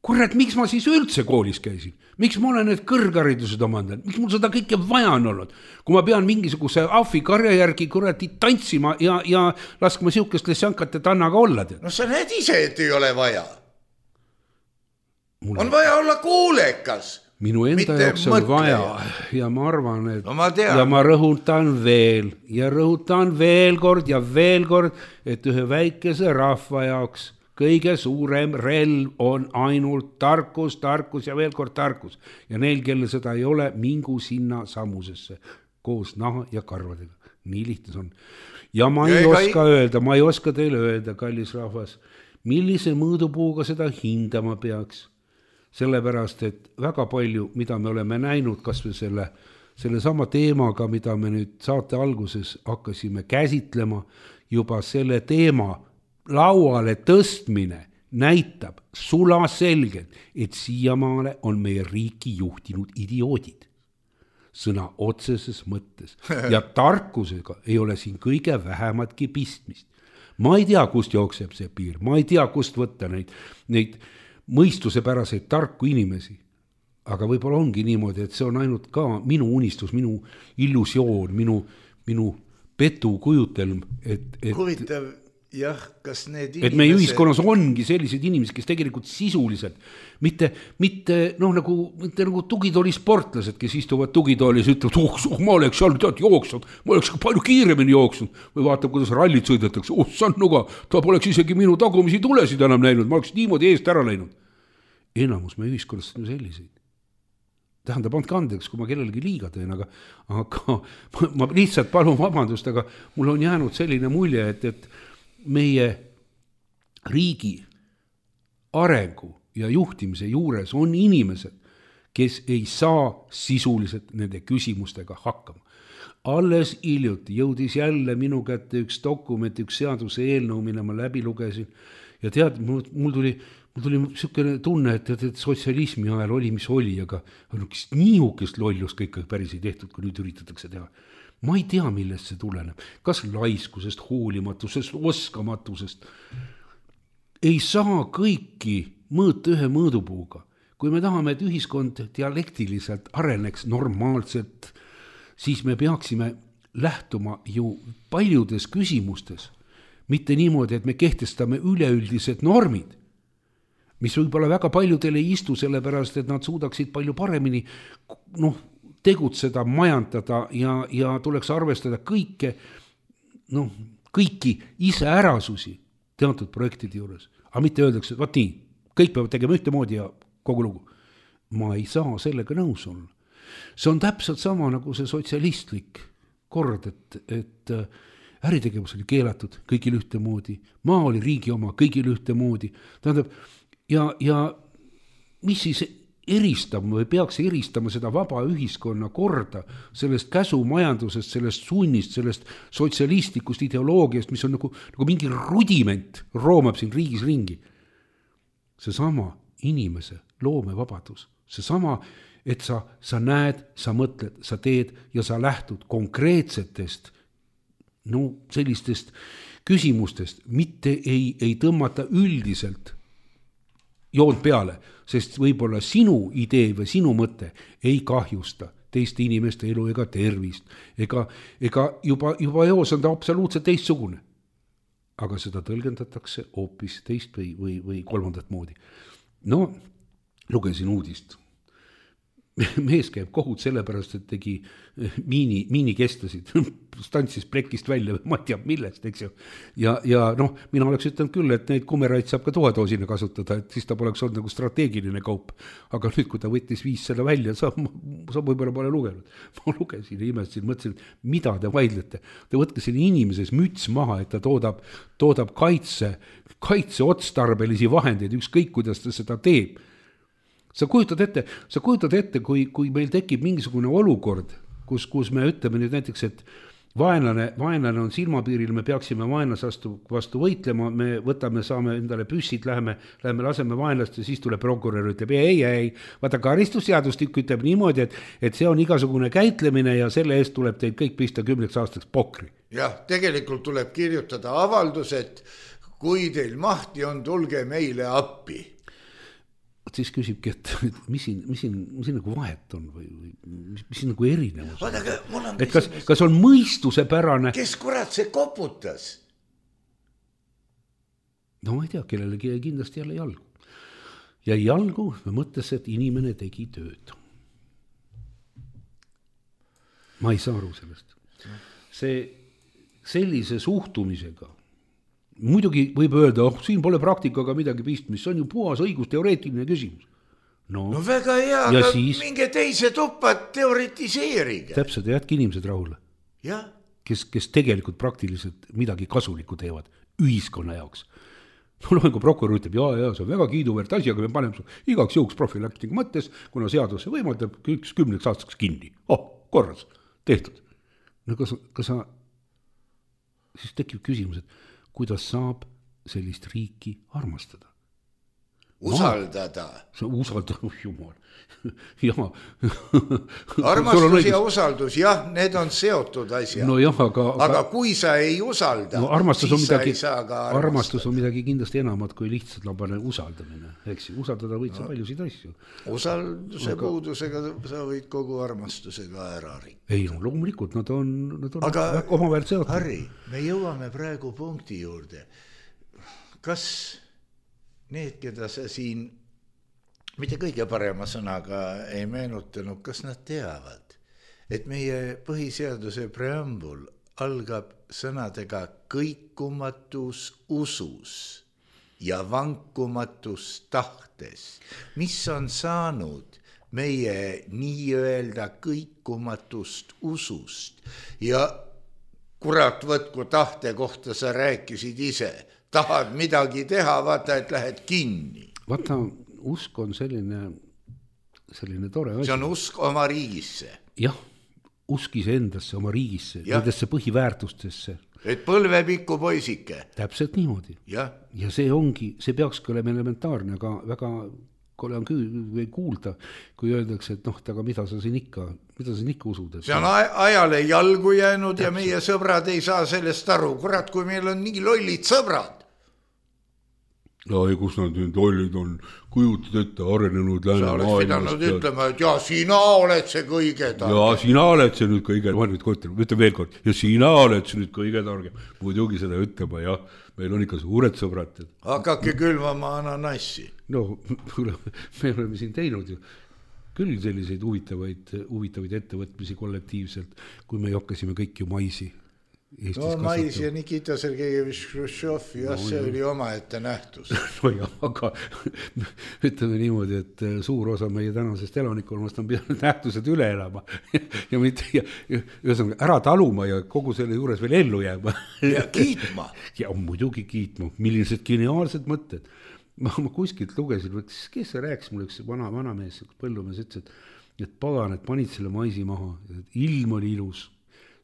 Kurat, miks ma siis üldse koolis käisin? Miks ma olen need kõrgharidused omandanud? Miks mul seda kõike vaja on olnud? Kui ma pean mingisuguse ahvikarja järgi kuradi tantsima ja laskma siukest lesjankat, et annaga olla. No sa näed ise, et ei ole vaja. On vaja olla kuulekas. Minu enda jaoks on vaja ja ma arvan, et ja ma rõhutan veel kord, et ühe väikese rahva jaoks kõige suurem relv on ainult tarkus ja veel kord tarkus. Ja neil, kelle seda ei ole, mingu sinna samusesse koos naha ja karvadega. Nii lihtne on. Ja ma ei oska teile öelda, kallis rahvas, millise mõõdupuuga seda hindama peaks. Sellepärast, et väga palju, mida me oleme näinud, kas või selle sama teemaga, mida me nüüd saate alguses hakkasime käsitlema, juba selle teema lauale tõstmine näitab sulaselgelt, et siiamaale on meie riiki juhtinud idioodid. Sõna otseses mõttes. Ja tarkusega ei ole siin kõige vähematki pistmist. Ma ei tea, kust jookseb see piir. Ma ei tea, kust võtta neid mõistusepäraseid tarku inimesi. Aga võib-olla ongi niimoodi, et see on ainult ka minu unistus, minu illusioon, minu petu kujutelm. Huvitav, jah, kas need inimesed... Et meie ühiskonnas ongi sellised inimesed, kes tegelikult sisuliselt, mitte nagu tugitooli sportlased, kes istuvad tugitoolis ja ütlevad, ma oleks seal jooksnud, ma oleks palju kiiremini jooksnud, või vaatab, kuidas rallid sõidetakse, sannuga, ta poleks isegi minu tagumisi tulesid enam näinud, ma oleks niimoodi eest ära läinud. Enamus meie ühiskonnas on selliseid. Tähendab, andke andeks, kui ma kellelegi liiga teen, aga ma lihtsalt palun vabandust, aga mul on jäänud selline mulje, et meie riigi arengu ja juhtimise juures on inimesed, kes ei saa sisuliselt nende küsimustega hakkama. Alles hiljuti jõudis jälle minu kätte üks dokument, üks seaduse eelnõu, mille ma läbi lugesin ja tead, mul tuli selline tunne, et sotsialismi ajal oli, mis oli, aga niisugust lollust kõik päris ei tehtud, kui nüüd üritatakse teha. Ma ei tea, millest see tuleneb. Kas laiskusest, hoolimatusest, oskamatusest. Ei saa kõiki mõõta ühe mõõdupuuga. Kui me tahame, et ühiskond dialektiliselt areneks normaalselt, siis me peaksime lähtuma ju paljudes küsimustes. Mitte niimoodi, et me kehtestame üleüldised normid. mis võib-olla väga paljudele ei istu, sellepärast, et nad suudaksid palju paremini tegutseda, majandada ja tuleks arvestada kõiki iseärasusi teatud projektide juures. Aga mitte öeldakse, vaat nii, kõik peavad tegema ühtemoodi ja kogu lugu. Ma ei saa sellega nõus olla. See on täpselt sama nagu see sotsialistlik kord, et äritegevus oli keelatud kõigil ühtemoodi, maa oli riigi oma kõigil ühtemoodi. Tähendab, ja mis siis eristama või peaks eristama seda vaba ühiskonna korda sellest käsumajandusest, sellest sunnist, sellest sotsialistlikust ideoloogiast, mis on nagu mingi rudiment roomab siin riigis ringi. Seesama inimese loomevabadus, seesama, et sa näed, sa mõtled, sa teed ja sa lähtud konkreetsetest sellistest küsimustest, mitte ei tõmmata üldiselt joont peale, sest võib-olla sinu idee või sinu mõte ei kahjusta teiste inimeste elu ega tervist, ega juba eos on ta absoluutselt teistsugune. Aga seda tõlgendatakse hoopis teist või kolmandat moodi. Lugesin uudist. Mees käib kohut sellepärast, et tegi miinikestasid, stantsis plekist välja, ma ei tea millest, eks ju. Ja mina oleks ütelnud küll, et neid kumeraid saab ka toadoosina kasutada, et siis ta poleks olnud nagu strateegiline kaup. Aga nüüd, kui ta võttis 5 selle välja, sa võib-olla pole lugenud. Ma lugesin ja imestasin, mõtlesin, mida te vaidlete. Te võtke selle inimeses müts maha, et ta toodab kaitse otstarbelisi vahendeid, ükskõik kuidas ta seda teeb. Sa kujutad ette, kui meil tekib mingisugune olukord, kus me ütleme nüüd näiteks, et vaenlane on silmapiiril, me peaksime vaenlase vastu võitlema, me saame endale püssid, läheme laseme vaenlast ja siis tuleb prokurör, ütleb ei, vaata karistusseadustik ütleb niimoodi, et see on igasugune käitlemine ja selle eest tuleb teid kõik pista 10 aastaks pokri. Jah, tegelikult tuleb kirjutada avaldus, et kui teil mahti on, tulge meile appi. Siis küsibki, et mis siin nagu vahet on või mis siin nagu erinevus on. Et kas on mõistuse pärane? Kes kurat see koputas? No ma ei tea, kellelegi kindlasti jälle jalgu. Ja jalgu me mõttes, et inimene tegi tööd. Ma ei saa aru sellest. Sellise suhtumisega muidugi võib öelda, siin pole praktikaga midagi pistmist, see on ju puhas õigusteoreetiline küsimus. No väga hea, aga siis minge teise tuppa teoretiseeriga. Täpselt, jätki inimesed rahule. Kes tegelikult praktiliselt midagi kasulikku teevad ühiskonna jaoks. Kui prokurör ütleb, see on väga kiiduväärt asi, aga me paneme igaks jõuks profilaktika mõttes, kuna seaduse võimaldab 10 aastaks kinni. Korras, tehtud. No kas sa, siis tekib küsimus, et kuidas saab sellist riiki armastada? Usaldada. Usaldada, jumal. Armastus ja usaldus, jah, need on seotud asjad. No jah, aga kui sa ei usalda, siis sa ei saa ka armastada. Armastus on midagi kindlasti enamat kui lihtsalt labane usaldamine. Eks usaldada võid sa paljusid asju. Usalduse puudusega sa võid kogu armastusega ära rikkuda. Ei, loomulikult, nad on omavahel seotud. Harri, me jõuame praegu punkti juurde. Kas need, keda sa siin mitte kõige parema sõnaga ei meenutanud, kas nad teavad, et meie põhiseaduse preambul algab sõnadega kõikumatus usus ja vankumatus tahtes, mis on saanud meie nii-öelda kõikumatust usust ja kurat võtku tahte kohta sa rääkisid ise, tahad midagi teha, vaata, et lähed kinni. Vaata, usk on selline tore asi. See on usk oma riigisse. Jah, usk iseendasse, oma riigisse, nendesse põhiväärtustesse. Et põlvepikku poisike. Täpselt niimoodi. Ja see peakski olema elementaarne, aga väga kole on kuulda, kui öeldakse, et aga mida sa siin ikka usud? See on ajale jalgu jäänud. Täpselt. Ja meie sõbrad ei saa sellest aru. Kurat, kui meil on nii lollid sõbrad. ja kus nad nüüd olid, on kujutad ette arenenud sa oleks pidanud ütlema, et ja sina oled see kõige targem. Ja sina oled see nüüd kõige, ma nüüd ütlen veel kord, ja sina oled see nüüd kõige targem. Muidugi seda ütlema, jah, meil on ikka suured sõbrad. Hakake külvama ananassi. No, me oleme siin teinud ju küll selliseid huvitavaid ettevõtmisi kollektiivselt, kui me hakkasime kõik ju maisi Eestis no mais ja Nikita Sergejevich Khrushchev, jah, see oli oma ette nähtus. No jah, aga ütleme niimoodi, et suur osa meie tänasest elanikkonnast on pidanud nähtused üle elama ja mitte ühesõnaga ära taluma ja kogu selle juures veel ellu jääma. Ja kiitma. Ja muidugi kiitma, millised geniaalsed mõtted. Ma kuskilt lugesin, kes see rääkis mulle, üks vanamees, põllumees ütles, et pagan, et panid selle maisi maha, ilm oli ilus.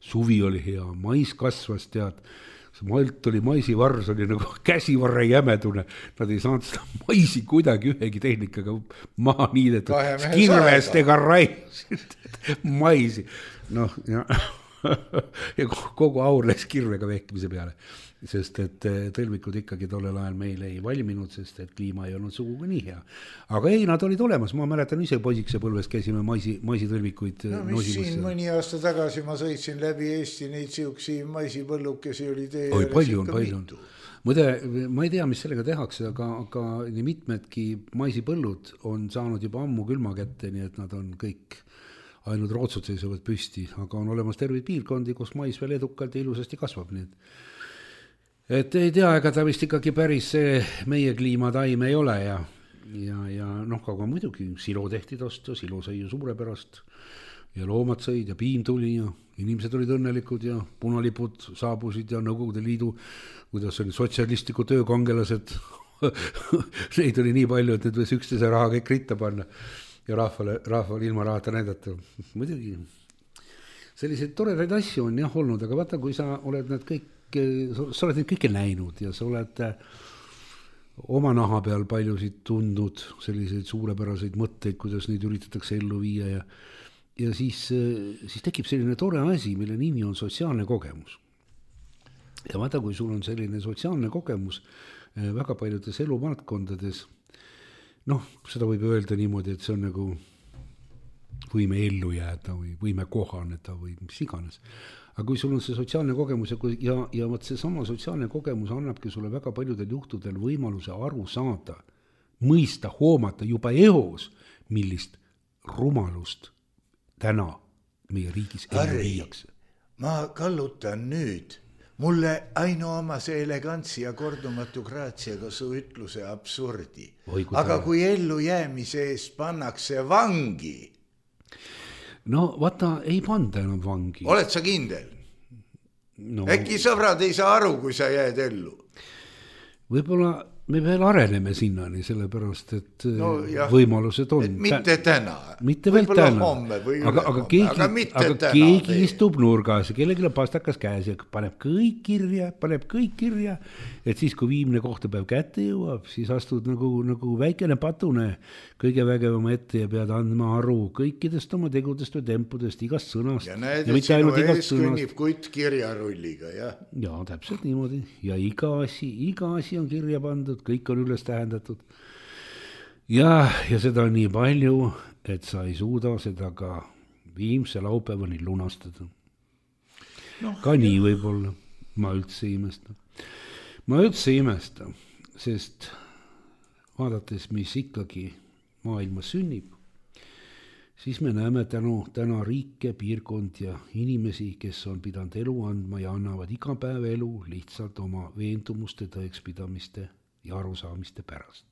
Suvi oli hea, mais kasvas, tead, see malt oli, maisivars oli nagu käsivarre jämedune, nad ei saanud seda maisi kuidagi ühegi tehnikaga maha niidetud, kirvest ega raiusid maisi, noh, ja kogu aur läks kirvega vehkimise peale, sest et tõlvikud ikkagi tollel ajal meil ei valminud, sest et kliima ei olnud sugugi nii hea. Aga ei, nad olid olemas, ma mäletan ise poisikse põlves käisime maisitõlvikuid mis siin mõni aasta tagasi ma sõitsin läbi Eesti neid siuksi maisipõllukesi oli tee. Oi, palju on. Muide, ma ei tea, mis sellega tehakse, aga nii mitmedki maisipõllud on saanud juba ammu külma kätte, nii et nad on kõik ainult rootsud seisuvad püsti, aga on olemas terveid piirkondi, kus mais veel edukalt ja ilusasti kasvab, nii et ei tea, ega ta vist ikkagi päris meie kliimataim ei ole ja noh, aga muidugi silo tehti tosta, silo sai ju suurepärast ja loomad sõid ja piim tuli ja inimesed olid õnnelikud ja punalipud saabusid ja Nõukogude Liidu, kuidas oli sotsialistliku töökangelased, neid oli nii palju, et need võis üksteise raha kõik ritta panna ja rahvale ilma rahata näidata. Muidugi selliseid toredaid asju on jah olnud, aga vaata, kui sa oled need kõik sa oled neid kõike näinud ja sa oled oma naha peal paljusid tundnud selliseid suurepäraseid mõtteid, kuidas neid üritatakse ellu viia ja siis tekib selline tore asi, mille nimi on sotsiaalne kogemus. Ja vaata, kui sul on selline sotsiaalne kogemus väga paljudes eluvaldkondades, noh, seda võib öelda niimoodi, et see on nagu võime ellu jääda või võime kohaneda või mis iganes. Aga kui sul on see sotsiaalne kogemus ja võt see sama sotsiaalne kogemus annabki sulle väga paljudel juhtudel võimaluse aru saada, mõista, hoomata juba eos, millist rumalust täna meie riigis ellu viiakse. Ma kallutan nüüd. Mulle ainuomase elegantsi ja kordumatu graatsiaga su ütluse absurdi. Aga kui ellu jäämise eest pannakse vangi, no vaata, ei panda enam vangi. Oled sa kindel? No. Äkki sõbrad ei saa aru, kui sa jääd ellu? Võib-olla me veel areneme sinnani, sellepärast, et võimalused on. Mitte täna. Mitte veel täna. Aga keegi istub nurgas ja kellegile pastakas käes ja paneb kõik kirja, et siis, kui viimne kohtapäev kätte jõuab, siis astud nagu väikene patune kõige vägevama ette ja pead andma aru kõikidest oma tegudest või tempudest, igast sõnast. Ja näed, et sinu ees kõnnib kutt kirjarulliga, jah? Ja, täpselt niimoodi. Ja iga asi on kirja pandud, kõik on üles tähendatud. Ja seda on nii palju, et sa ei suuda seda ka viimse laupäevani lunastada. Ka nii võib-olla. Ma üldse ei imesta. Sest vaadates, mis ikkagi maailmas sünnib, siis me näeme täna riike, piirkond ja inimesi, kes on pidanud elu andma ja annavad iga päev elu lihtsalt oma veendumuste, tõekspidamiste ja arusaamiste pärast.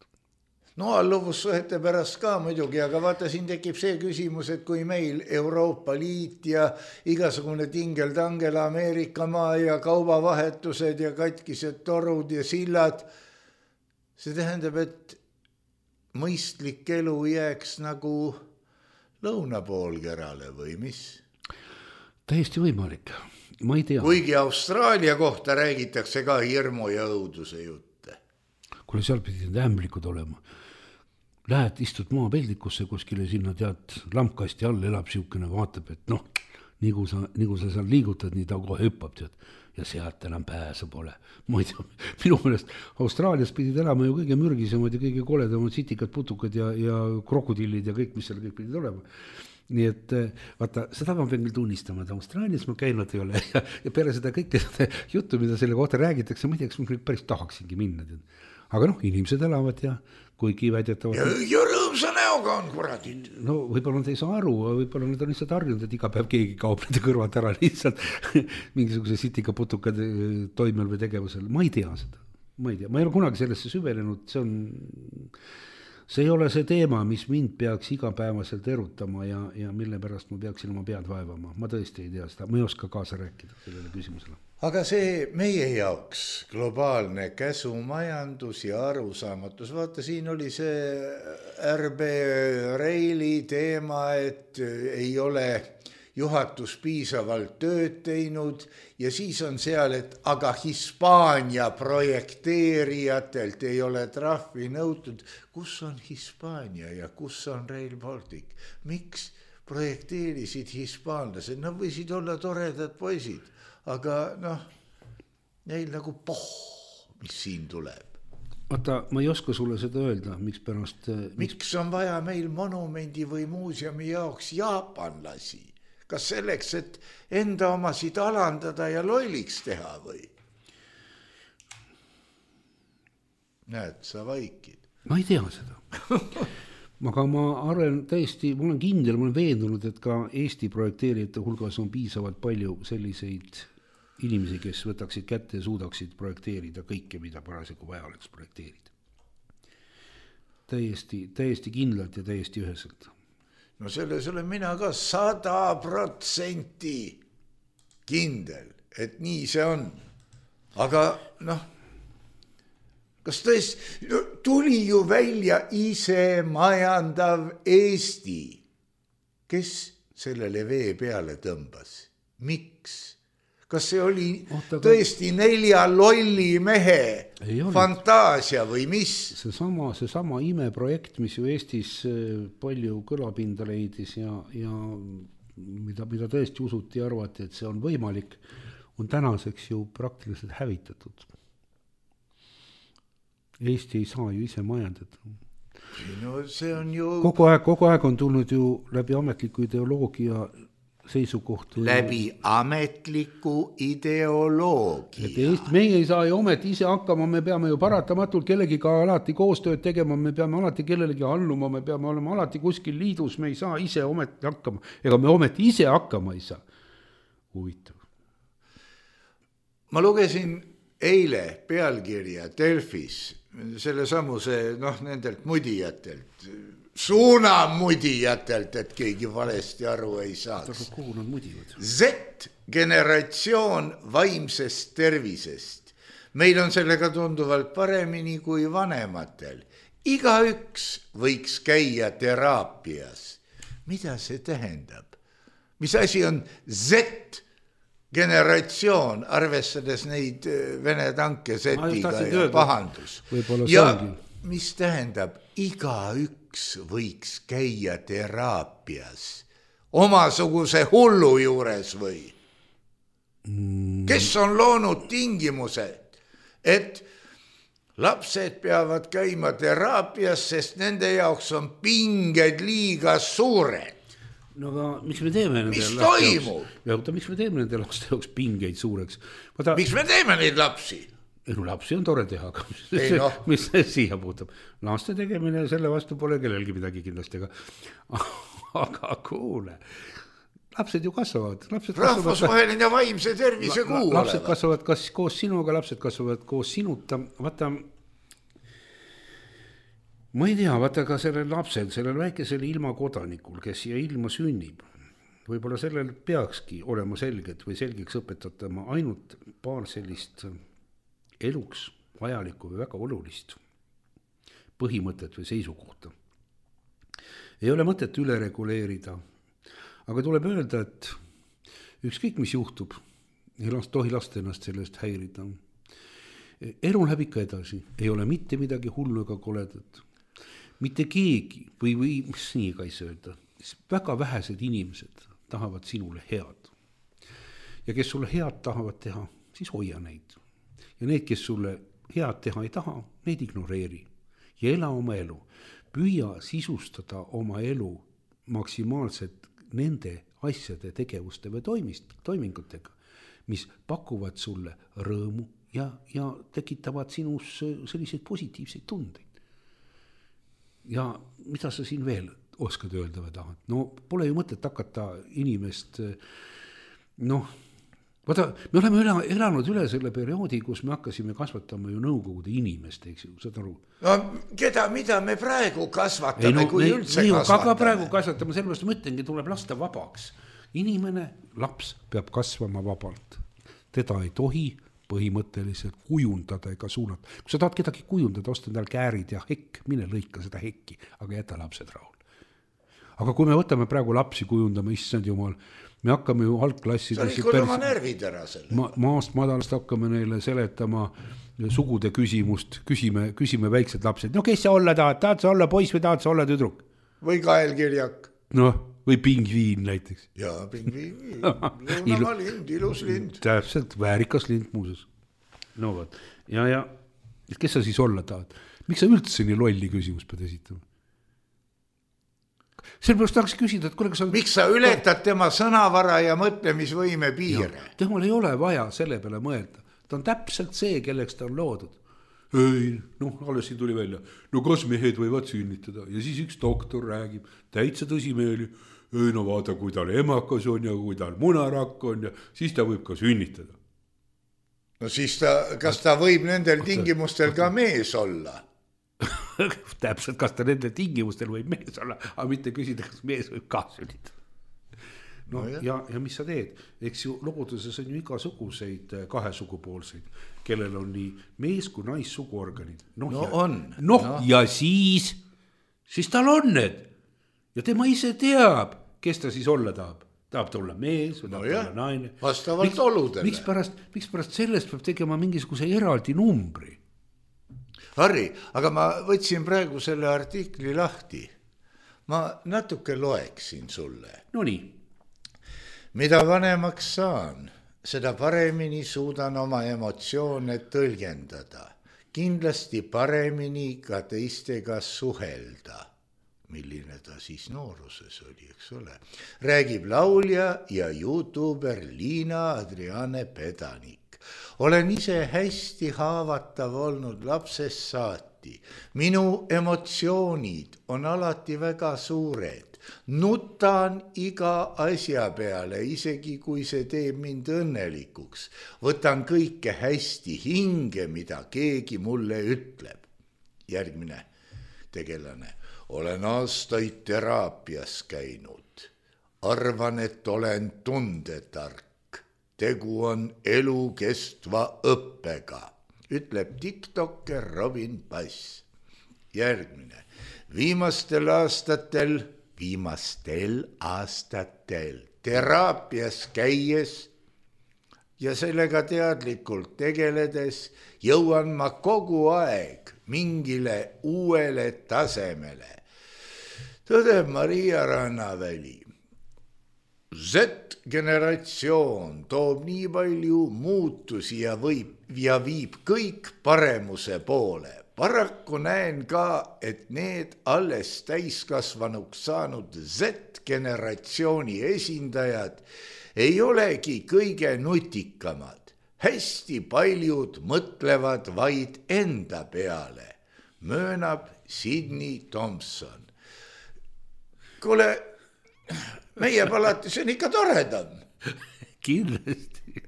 No alluvussuhete pärast ka muidugi, aga vaata, siin tekib see küsimus, et kui meil Euroopa Liit ja igasugune tingel-tangel Ameerika maa ja kaubavahetused ja katkised torud ja sillad, see tähendab, et mõistlik elu jääks nagu lõunapoolkerale või mis? Täiesti võimalik, ma ei tea. Kuigi Austraalia kohta räägitakse ka hirmu ja õuduse jutte. Kuule, seal pidid ämblikud olema. Lähed, istud maapeldikusse kuskile sinna, tead, lampkasti all elab siukene, vaatab, et noh, nii kui sa seal liigutad, nii ta kohe hüppab, tead. ja sealt enam pääsu pole. Ma ei tea, minu meelest Austraalias pidid elama ju kõige mürgisemad ja kõige koledamad sitikad, putukad ja krokodillid ja kõik, mis seal kõik pidid olema. Nii et vaata, seda ma pean küll tunnistama, et Austraalias ma käinud ei ole ja peale seda kõike seda juttu, mida selle kohta räägitakse, ma ei tea, kas ma päris tahaksingi minna. Aga inimesed elavad ja kuigi väidetavad... Ja rõõmsa näoga on kuradid. No võib-olla nad ei saa aru, võib-olla nad on lihtsalt harjunud, et iga päev keegi kaob nende kõrvalt ära lihtsalt mingisuguse sitika putukad toimel või tegevusel. Ma ei tea seda. Ma ei ole kunagi sellesse süvenenud, see ei ole see teema, mis mind peaks igapäevaselt erutama ja mille pärast ma peaksin oma pead vaevama. Ma tõesti ei tea seda, ma ei oska kaasa rääkida sellele küsimusele. Aga see meie jaoks globaalne käsumajandus ja arusaamatus, vaata siin oli see RB Reili teema, et ei ole juhatus piisavalt tööd teinud ja siis on seal, et aga Hispaania projekteerijatelt ei ole trahvi nõutud. Kus on Hispaania ja kus on Rail Baltic? Miks projekteerisid hispaanlased? Nad võisid olla toredad poisid, aga neil nagu mis siin tuleb. Vaata, ma ei oska sulle seda öelda, miks pärast... Miks on vaja meil monumendi või muuseumi jaoks jaapanlasi? Kas selleks, et enda omasid alandada ja lolliks teha või? Näed, sa vaikid. Ma ei tea seda. Aga ma arvan täiesti, ma olen kindel, ma olen veendunud, et ka Eesti projekteerijate hulgas on piisavalt palju selliseid inimesi, kes võtaksid kätte ja suudaksid projekteerida kõike, mida parasjagu vaja oleks projekteerida. Täiesti kindlalt ja täiesti üheselt. No selles olen mina ka 100% kindel, et nii see on. Aga kas tõesti tuli ju välja ise majandav Eesti, kes sellele vee peale tõmbas? Miks? Kas see oli tõesti 4 lolli mehe fantaasia või mis? Seesama imeprojekt, mis ju Eestis palju kõlapinda leidis ja mida tõesti usuti ja arvati, et see on võimalik, on tänaseks ju praktiliselt hävitatud. Eesti ei saa ju ise majandada. No see on ju... Kogu aeg on tulnud ju läbi ametliku ideoloogia seisukohtu. Läbi ametliku ideoloogia. Meie ei saa ju ometi ise hakkama, me peame ju paratamatult kellegiga alati koostööd tegema, me peame alati kellelegi alluma, me peame olema alati kuskil liidus, me ei saa ise ometi hakkama. Ega me ometi ise hakkama ei saa. Huvitav. Ma lugesin eile pealkirja Delfis, selle samuse nendelt mudijatelt, suunamudijatelt, et keegi valesti aru ei saaks. Z-generatsioon vaimsest tervisest. Meil on sellega tunduvalt paremini kui vanematel. Igaüks võiks käia teraapias. Mida see tähendab? Mis asi on Z-generatsioon, arvestades neid Vene tanke Z-iga ja pahandus? Ja mis tähendab igaüks võiks käia teraapias omasuguse hullu juures või? Kes on loonud tingimused, et lapsed peavad käima teraapias, sest nende jaoks on pinged liiga suured? No aga miks me teeme nende mis toimub? Miks me teeme nende laste jaoks pingeid suureks? Miks me teeme neid lapsi? Lapsi on tore teha, aga mis siia puutub. Laste tegemine selle vastu pole kellelgi midagi kindlasti. Aga kuule, lapsed ju kasvavad. Rahvusvaheline ja vaimse tervise kuu olevat. Lapsed kasvavad kas koos sinuga, lapsed kasvavad koos sinuta. Vaata, ma ei tea, vaata ka sellel lapsel, sellel väikesel ilmakodanikul, kes siia ilma sünnib, võib-olla sellel peakski olema selgeks õpetatama ainult paar sellist eluks vajalikku või väga olulist põhimõtet või seisukohta. Ei ole mõtet üle reguleerida, aga tuleb öelda, et ükskõik mis juhtub, ei tohi lasta ennast sellest häirida. Elu läheb ikka edasi, ei ole mitte midagi hullu ega koledat. Mitte keegi või mis nii ka ei saa öelda, väga vähesed inimesed tahavad sinule head. Ja kes sulle head tahavad teha, siis hoia neid. Ja need, kes sulle head teha ei taha, neid ignoreeri ja ela oma elu. Püüa sisustada oma elu maksimaalselt nende asjade, tegevuste või toimingutega, mis pakuvad sulle rõõmu ja tekitavad sinus selliseid positiivseid tundeid. Ja mida sa siin veel oskad öelda või tahad? No pole ju mõtet hakata inimest, vaata, me oleme elanud üle selle perioodi, kus me hakkasime kasvatama ju nõukogude inimest, eks ju, saad aru? No mida me praegu kasvatame, kui üldse kasvatame? Aga praegu kasvatame, sellepärast ma ütlengi, tuleb lasta vabaks. Inimene, laps peab kasvama vabalt. Teda ei tohi põhimõtteliselt kujundada ega suunata. Kui sa tahad kedagi kujundada, osta endal käärid ja hekk, mine lõika seda hekki, aga jäta lapsed rahul. Aga kui me võtame praegu lapsi kujundama, issand jumal, me hakkame ju algklassides... Sa olid oma närvid ära selle. Maast madalast hakkame neile seletama sugude küsimust, küsime väiksed lapsed. No kes sa olla tahad sa olla poiss või tahad sa olla tüdruk? Või kaelkirjak. Või pingviin näiteks. Jaa, pingviin. Lõunamaa lind, ilus lind. Täpselt, väärikas lind muuses. No võt. Ja kes sa siis olla tahad? Miks sa üldse nii lolli küsimus pead esitama? Sellepärast tahaks küsida, et kuule, kas sa... Miks sa ületad tema sõnavara ja mõtlemisvõime piire? Temal ei ole vaja selle peale mõelda. Ta on täpselt see, kelleks ta on loodud. Ei, alles siin tuli välja. No kas mehed võivad sünnitada? Ja siis üks doktor räägib täitsa tõsimeeli. Ei, no vaata, kui tal emakas on ja kui tal munarakk on ja siis ta võib ka sünnitada. No siis kas ta võib nendel tingimustel ka mees olla? Täpselt, kas ta nendel tingimustel võib mees olla, aga mitte küsida, kas mees võib ka sünnitada. No ja mis sa teed? Eks ju looduses on ju igasuguseid kahesugupoolseid, kellel on nii mees kui naissuguorganid. Ja siis tal on need. Ja tema ise teab, kes ta siis olla tahab. Tahab ta olla mees või tahab ta olla naine. Vastavalt oludele. Miks pärast sellest peab tegema mingisuguse eraldi numbri? Harri, aga ma võtsin praegu selle artikli lahti. Ma natuke loeksin sulle. No nii. Mida vanemaks saan, seda paremini suudan oma emotsioone tõlgendada. Kindlasti paremini ka teistega suhelda. Milline ta siis nooruses oli, eks ole. Räägib laulja ja YouTuber Liina Adriane Pedanik. Olen ise hästi haavatav olnud lapsest saati. Minu emotsioonid on alati väga suured. Nutan iga asja peale, isegi kui see teeb mind õnnelikuks. Võtan kõike hästi hinge, mida keegi mulle ütleb. Järgmine tegelane. Olen aastaid teraapias käinud. Arvan, et olen tundetark. Tegu on elukestva õppega, ütleb TikToker Robin Bass. Järgmine. Viimastel aastatel teraapias käies ja sellega teadlikult tegeledes jõuan ma kogu aeg mingile uuele tasemele. Tõdeb Maria Rannaväli. Z-generatsioon toob nii palju muutusi ja viib kõik paremuse poole. Paraku näen ka, et need alles täiskasvanuks saanud Z-generatsiooni esindajad ei olegi kõige nutikamad. Hästi paljud mõtlevad vaid enda peale, möönab Sydney Thompson. Kuule, meie palatis on ikka toredam. Kindlasti.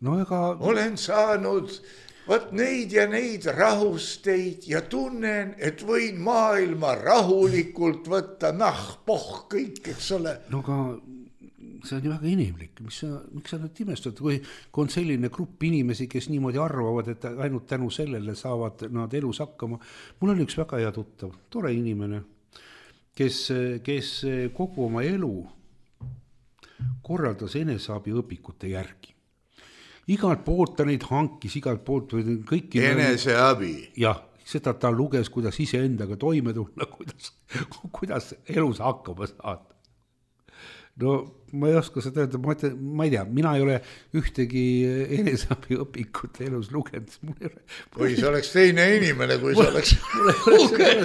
Olen saanud neid ja neid rahusteid ja tunnen, et võin maailma rahulikult võtta, kõik, eks ole. No aga see on ju väga inimlik. Miks sa nüüd imestad, kui on selline grupp inimesi, kes niimoodi arvavad, et ainult tänu sellele saavad nad elus hakkama. Mul oli üks väga hea tuttav, tore inimene, kes kogu oma elu korraldas eneseabi õpikute järgi. Igalt poolt ta neid hankis, igalt poolt kõiki... Eneseabi? Jah, seda ta luges, kuidas iseendaga toime tulla, kuidas elus hakkama saada. no ma ei oska seda öelda, ma ei tea, mina ei ole ühtegi eneseabi õpikut elus lugenud. Või see oleks teine inimene, kui see oleks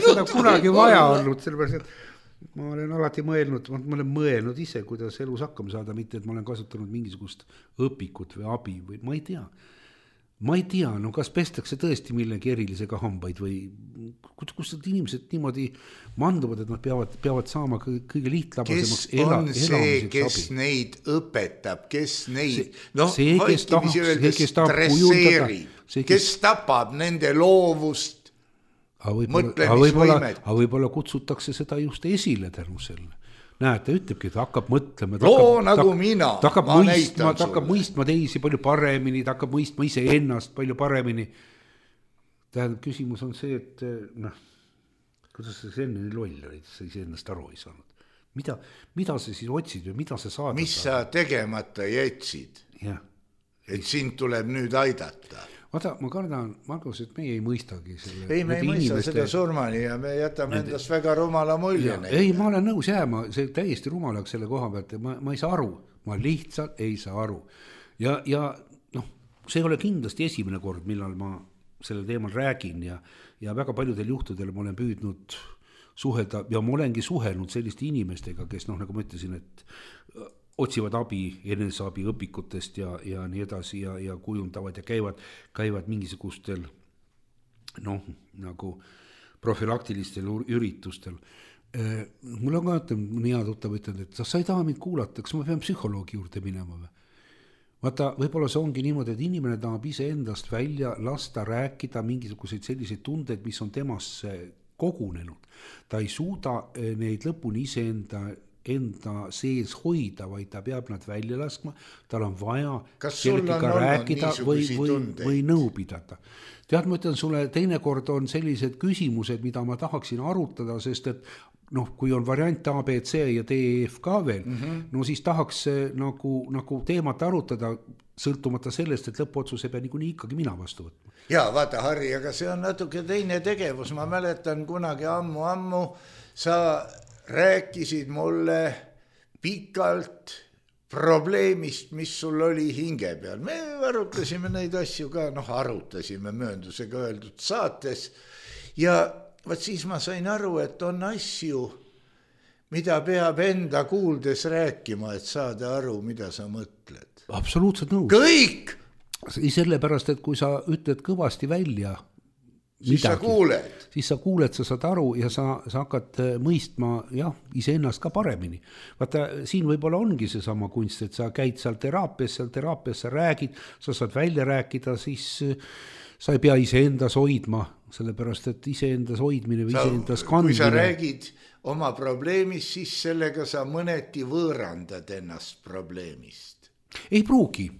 seda kunagi vaja olnud, sellepärast, et ma olen alati mõelnud ise, kuidas elus hakkama saada, mitte et ma olen kasutanud mingisugust õpikut või abi või ma ei tea, no kas pestakse tõesti millegi erilisega hambaid või kus need inimesed niimoodi manduvad, et nad peavad saama kõige lihtlabasemaks elamiseks see, kes abi. Neid õpetab, kes neid stresseerib, kes tapab nende loovust, mõtlemisvõimet. Aga võib-olla kutsutakse seda just esile tänu selle. Näed, ta ütlebki, et hakkab mõtlema. Ta hakkab mõistma teisi palju paremini, ta hakkab mõistma ise ennast palju paremini. Tähendab, küsimus on see, et kuidas sa enne nii loll olid, sa ise ennast aru ei saanud. Mida sa siis otsid või mida sa saad? Mis sa tegemata jätsid? Et sind tuleb nüüd aidata. Vaata, ma kardan, Margus, et meie ei mõistagi selle. Ei, me ei mõista seda surmani ja me jätame endast väga rumala mulje. Ei, ma olen nõus jääma, see täiesti rumalaks selle koha pealt, ma ei saa aru, ma lihtsalt ei saa aru. Ja see ei ole kindlasti esimene kord, millal ma sellel teemal räägin ja väga paljudel juhtudel ma olen püüdnud suhelda ja ma olengi suhelnud selliste inimestega, kes nagu ma ütlesin, et otsivad abi, eneseabi õpikutest ja nii edasi ja kujundavad ja käivad mingisugustel nagu profilaktilistel üritustel. Mul on ka nii hea tuttav ütelnud, et sa ei taha mind kuulata, kas ma pean psühholoogi juurde minema või? Vaata, võib-olla see ongi niimoodi, et inimene tahab ise endast välja lasta rääkida mingisuguseid selliseid tundeid, mis on temasse kogunenud. Ta ei suuda neid lõpuni ise enda sees hoida, vaid ta peab nad välja laskma, tal on vaja kellegiga rääkida või nõu pidada. Tead, ma ütlen sulle, teinekord on sellised küsimused, mida ma tahaksin arutada, sest et kui on variant A, B, C ja D, E, F ka veel, no siis tahaks nagu teemat arutada, sõltumata sellest, et lõpuotsuse peab niikuinii ikkagi mina vastu võtma. Ja vaata, Harri, aga see on natuke teine tegevus. Ma mäletan kunagi ammu sa rääkisid mulle pikalt probleemist, mis sul oli hinge peal. Me arutasime neid asju ka, arutasime mööndusega öeldud saates ja vaat siis ma sain aru, et on asju, mida peab enda kuuldes rääkima, et saada aru, mida sa mõtled. Absoluutselt nõus. Kõik! Sellepärast, et kui sa ütled kõvasti välja siis sa kuuled, sa saad aru ja sa hakkad mõistma iseennast ka paremini. Vaata, siin võib-olla ongi see sama kunst, et sa käid seal teraapias sa räägid, sa saad välja rääkida, siis sa ei pea iseendas hoidma, sellepärast, et iseendas hoidmine või iseendas kandmine. Kui sa räägid oma probleemist, siis sellega sa mõneti võõrandad ennast probleemist. Ei pruugi.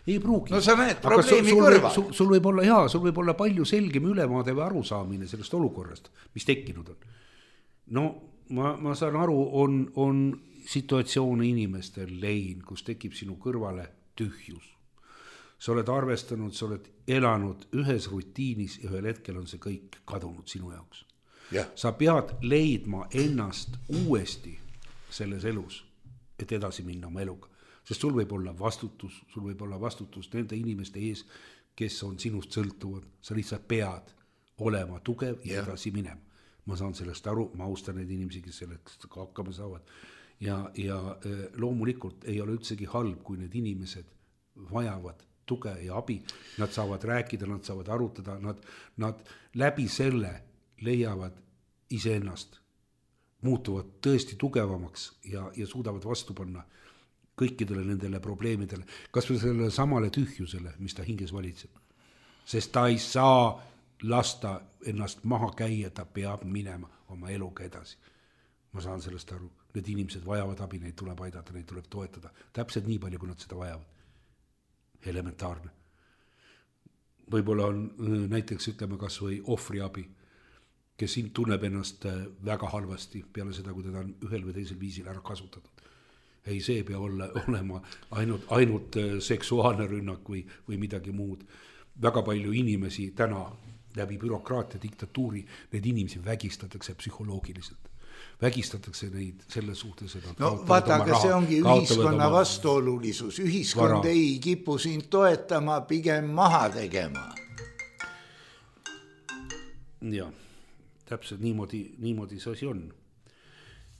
No sa näed probleemi kõrval. Sul võib olla palju selgem ülevaade või arusaamine sellest olukorrast, mis tekkinud on. No ma saan aru, on situatsioone inimestel lein, kus tekib sinu kõrvale tühjus. Sa oled arvestanud, sa oled elanud ühes rutiinis ja ühel hetkel on see kõik kadunud sinu jaoks. Sa pead leidma ennast uuesti selles elus, et edasi minna oma eluga. Sest sul võib olla vastutus nende inimeste ees, kes on sinust sõltuvad. Sa lihtsalt pead olema tugev ja edasi minema. Ma saan sellest aru, ma austan neid inimesi, kes sellest hakkama saavad. Ja loomulikult ei ole üldsegi halb, kui need inimesed vajavad tuge ja abi. Nad saavad rääkida, nad saavad arutada, nad läbi selle leiavad iseennast, muutuvad tõesti tugevamaks ja suudavad vastu panna kõikidele nendele probleemidele, kas või sellele samale tühjusele, mis ta hinges valitseb. Sest ta ei saa lasta ennast maha käia, ta peab minema oma eluga edasi. Ma saan sellest aru, need inimesed vajavad abi, neid tuleb aidata, neid tuleb toetada. Täpselt nii palju, kui nad seda vajavad. Elementaarne. Võib-olla on näiteks, ütleme kas või ohvriabi, kes tunneb ennast väga halvasti peale seda, kui teda on ühel või teisel viisil ära kasutatud. Ei, see pea olema ainult seksuaalne rünnak või midagi muud. Väga palju inimesi täna läbi bürokraatia diktatuuri, need inimesi vägistatakse psühholoogiliselt. vägistatakse neid selle suhtes, et no vaata, aga see ongi ühiskonna vastuolulisus. Ühiskond ei kipu sind toetama, pigem maha tegema. Ja, täpselt niimoodi see asi on.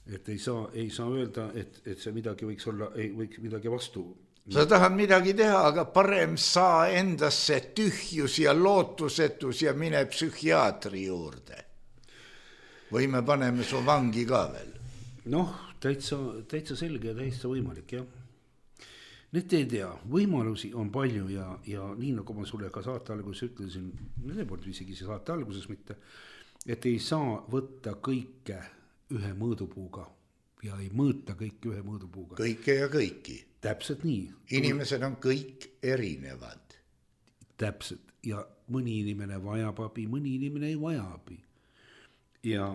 Et ei saa öelda, et see midagi võiks olla, võiks midagi vastu. Sa tahad midagi teha, aga parem saa endasse tühjus ja lootusetus ja mine psühhiaatri juurde. Või me paneme su vangi ka veel? Noh, täitsa selge ja täitsa võimalik, jah. Need ei tea, võimalusi on palju ja nii nagu ma sulle ka saate alguses ütlesin, need polnud isegi saate alguses mitte, et ei saa võtta kõike ühe mõõdupuuga ja ei mõõta kõike ühe mõõdupuuga. Kõike ja kõiki. Täpselt nii. Inimesed on kõik erinevad. Täpselt. Ja mõni inimene vajab abi, mõni inimene ei vaja abi. Ja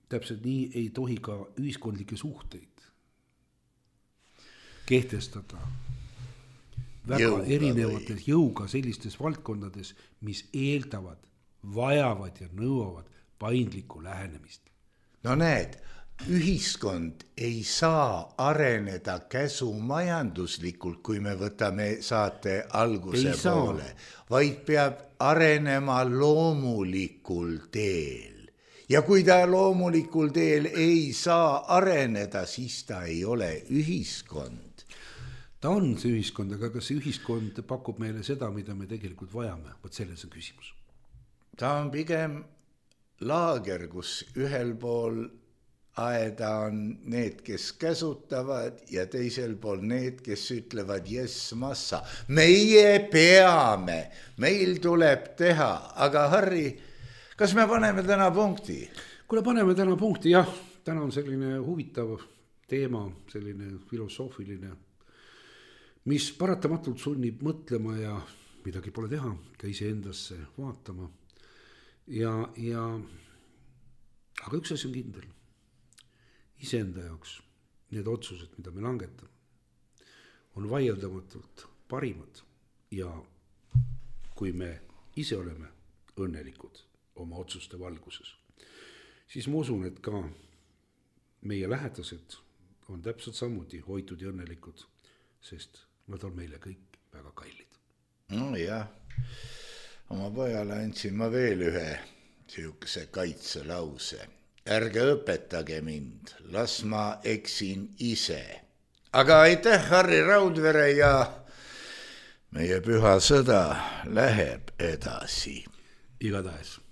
täpselt nii ei tohi ka ühiskondlikke suhteid kehtestada väga erinevates jõuga sellistes valdkondades, mis eeldavad, vajavad ja nõuavad paindlikku lähenemist. No näed, ühiskond ei saa areneda käsumajanduslikult, kui me võtame saate alguse poole, vaid peab arenema loomulikul teel. Ja kui ta loomulikul teel ei saa areneda, siis ta ei ole ühiskond. Ta on see ühiskond, aga kas see ühiskond pakub meile seda, mida me tegelikult vajame? Võt selles on küsimus. Ta on pigem laager, kus ühel pool aeda on need, kes käsutavad ja teisel pool need, kes ütlevad jess massa. Meie peame, meil tuleb teha, aga Harri, kas me paneme täna punkti? Kuule, paneme täna punkti, jah. Täna on selline huvitav teema, selline filosoofiline, mis paratamatult sunnib mõtlema ja midagi pole teha, ka iseendasse vaatama. Aga üks asi on kindel. Iseenda jaoks need otsused, mida me langetame, on vaieldamatult parimad. Ja kui me ise oleme õnnelikud oma otsuste valguses, siis ma usun, et ka meie lähedased on täpselt samuti hoitud ja õnnelikud, sest nad on meile kõik väga kallid. No jah, oma pojale andsin ma veel ühe sihukese kaitselause. Ärge õpetage mind, las ma eksin ise. Aga aitäh, Harri Raudvere, ja meie püha sõda läheb edasi. Igatahes.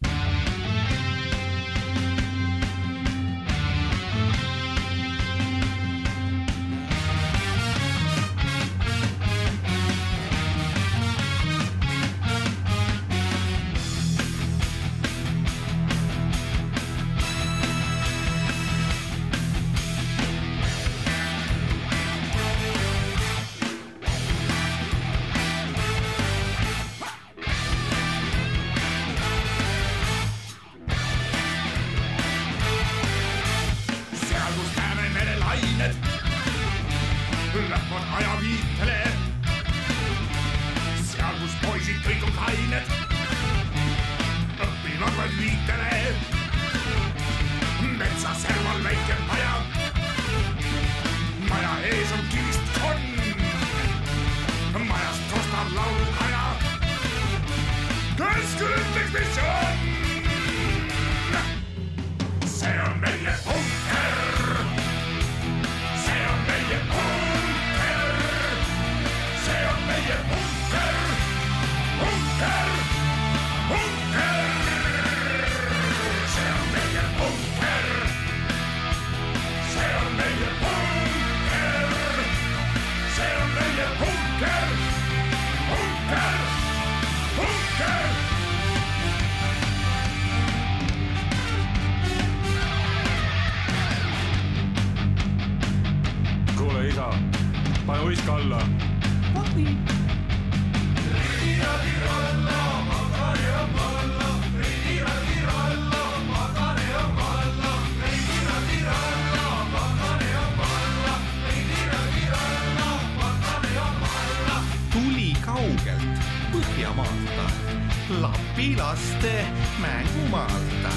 Pane uiska alla. Tuli kaugelt Põhjamaalta, Lapilaste mängumaalta.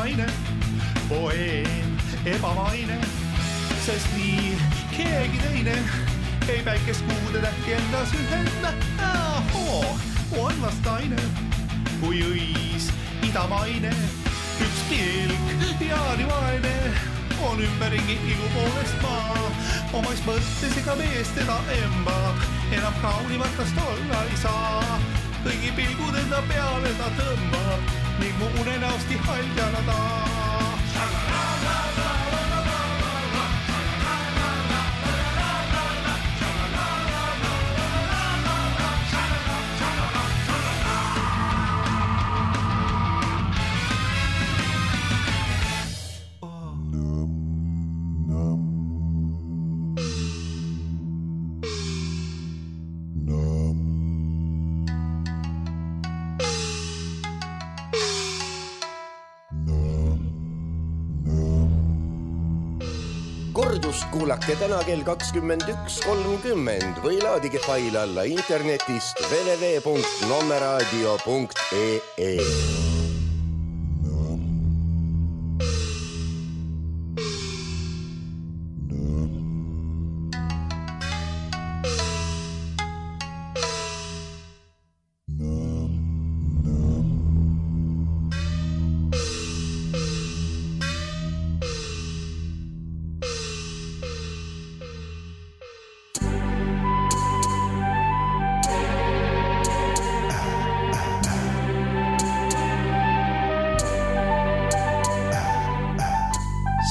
naine, poeem, ebamaine, sest nii keegi teine ei päikest kuude tähti endas ühendna. On vastaine, kui õis idamaine, üks pilk jaanivaene on ümberringi ilu poolest maa. Omais mõttes ega mees teda embab, enam kaunimatast olla ei saa. Kõigi pilgud enda peale ta tõmbab ning mu unenäosti haljana ta. Kordust kuulake täna kell 21.30 või laadige fail alla internetist www.nommeradio.ee.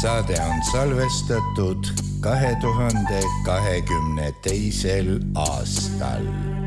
Saade on salvestatud 2022. aastal.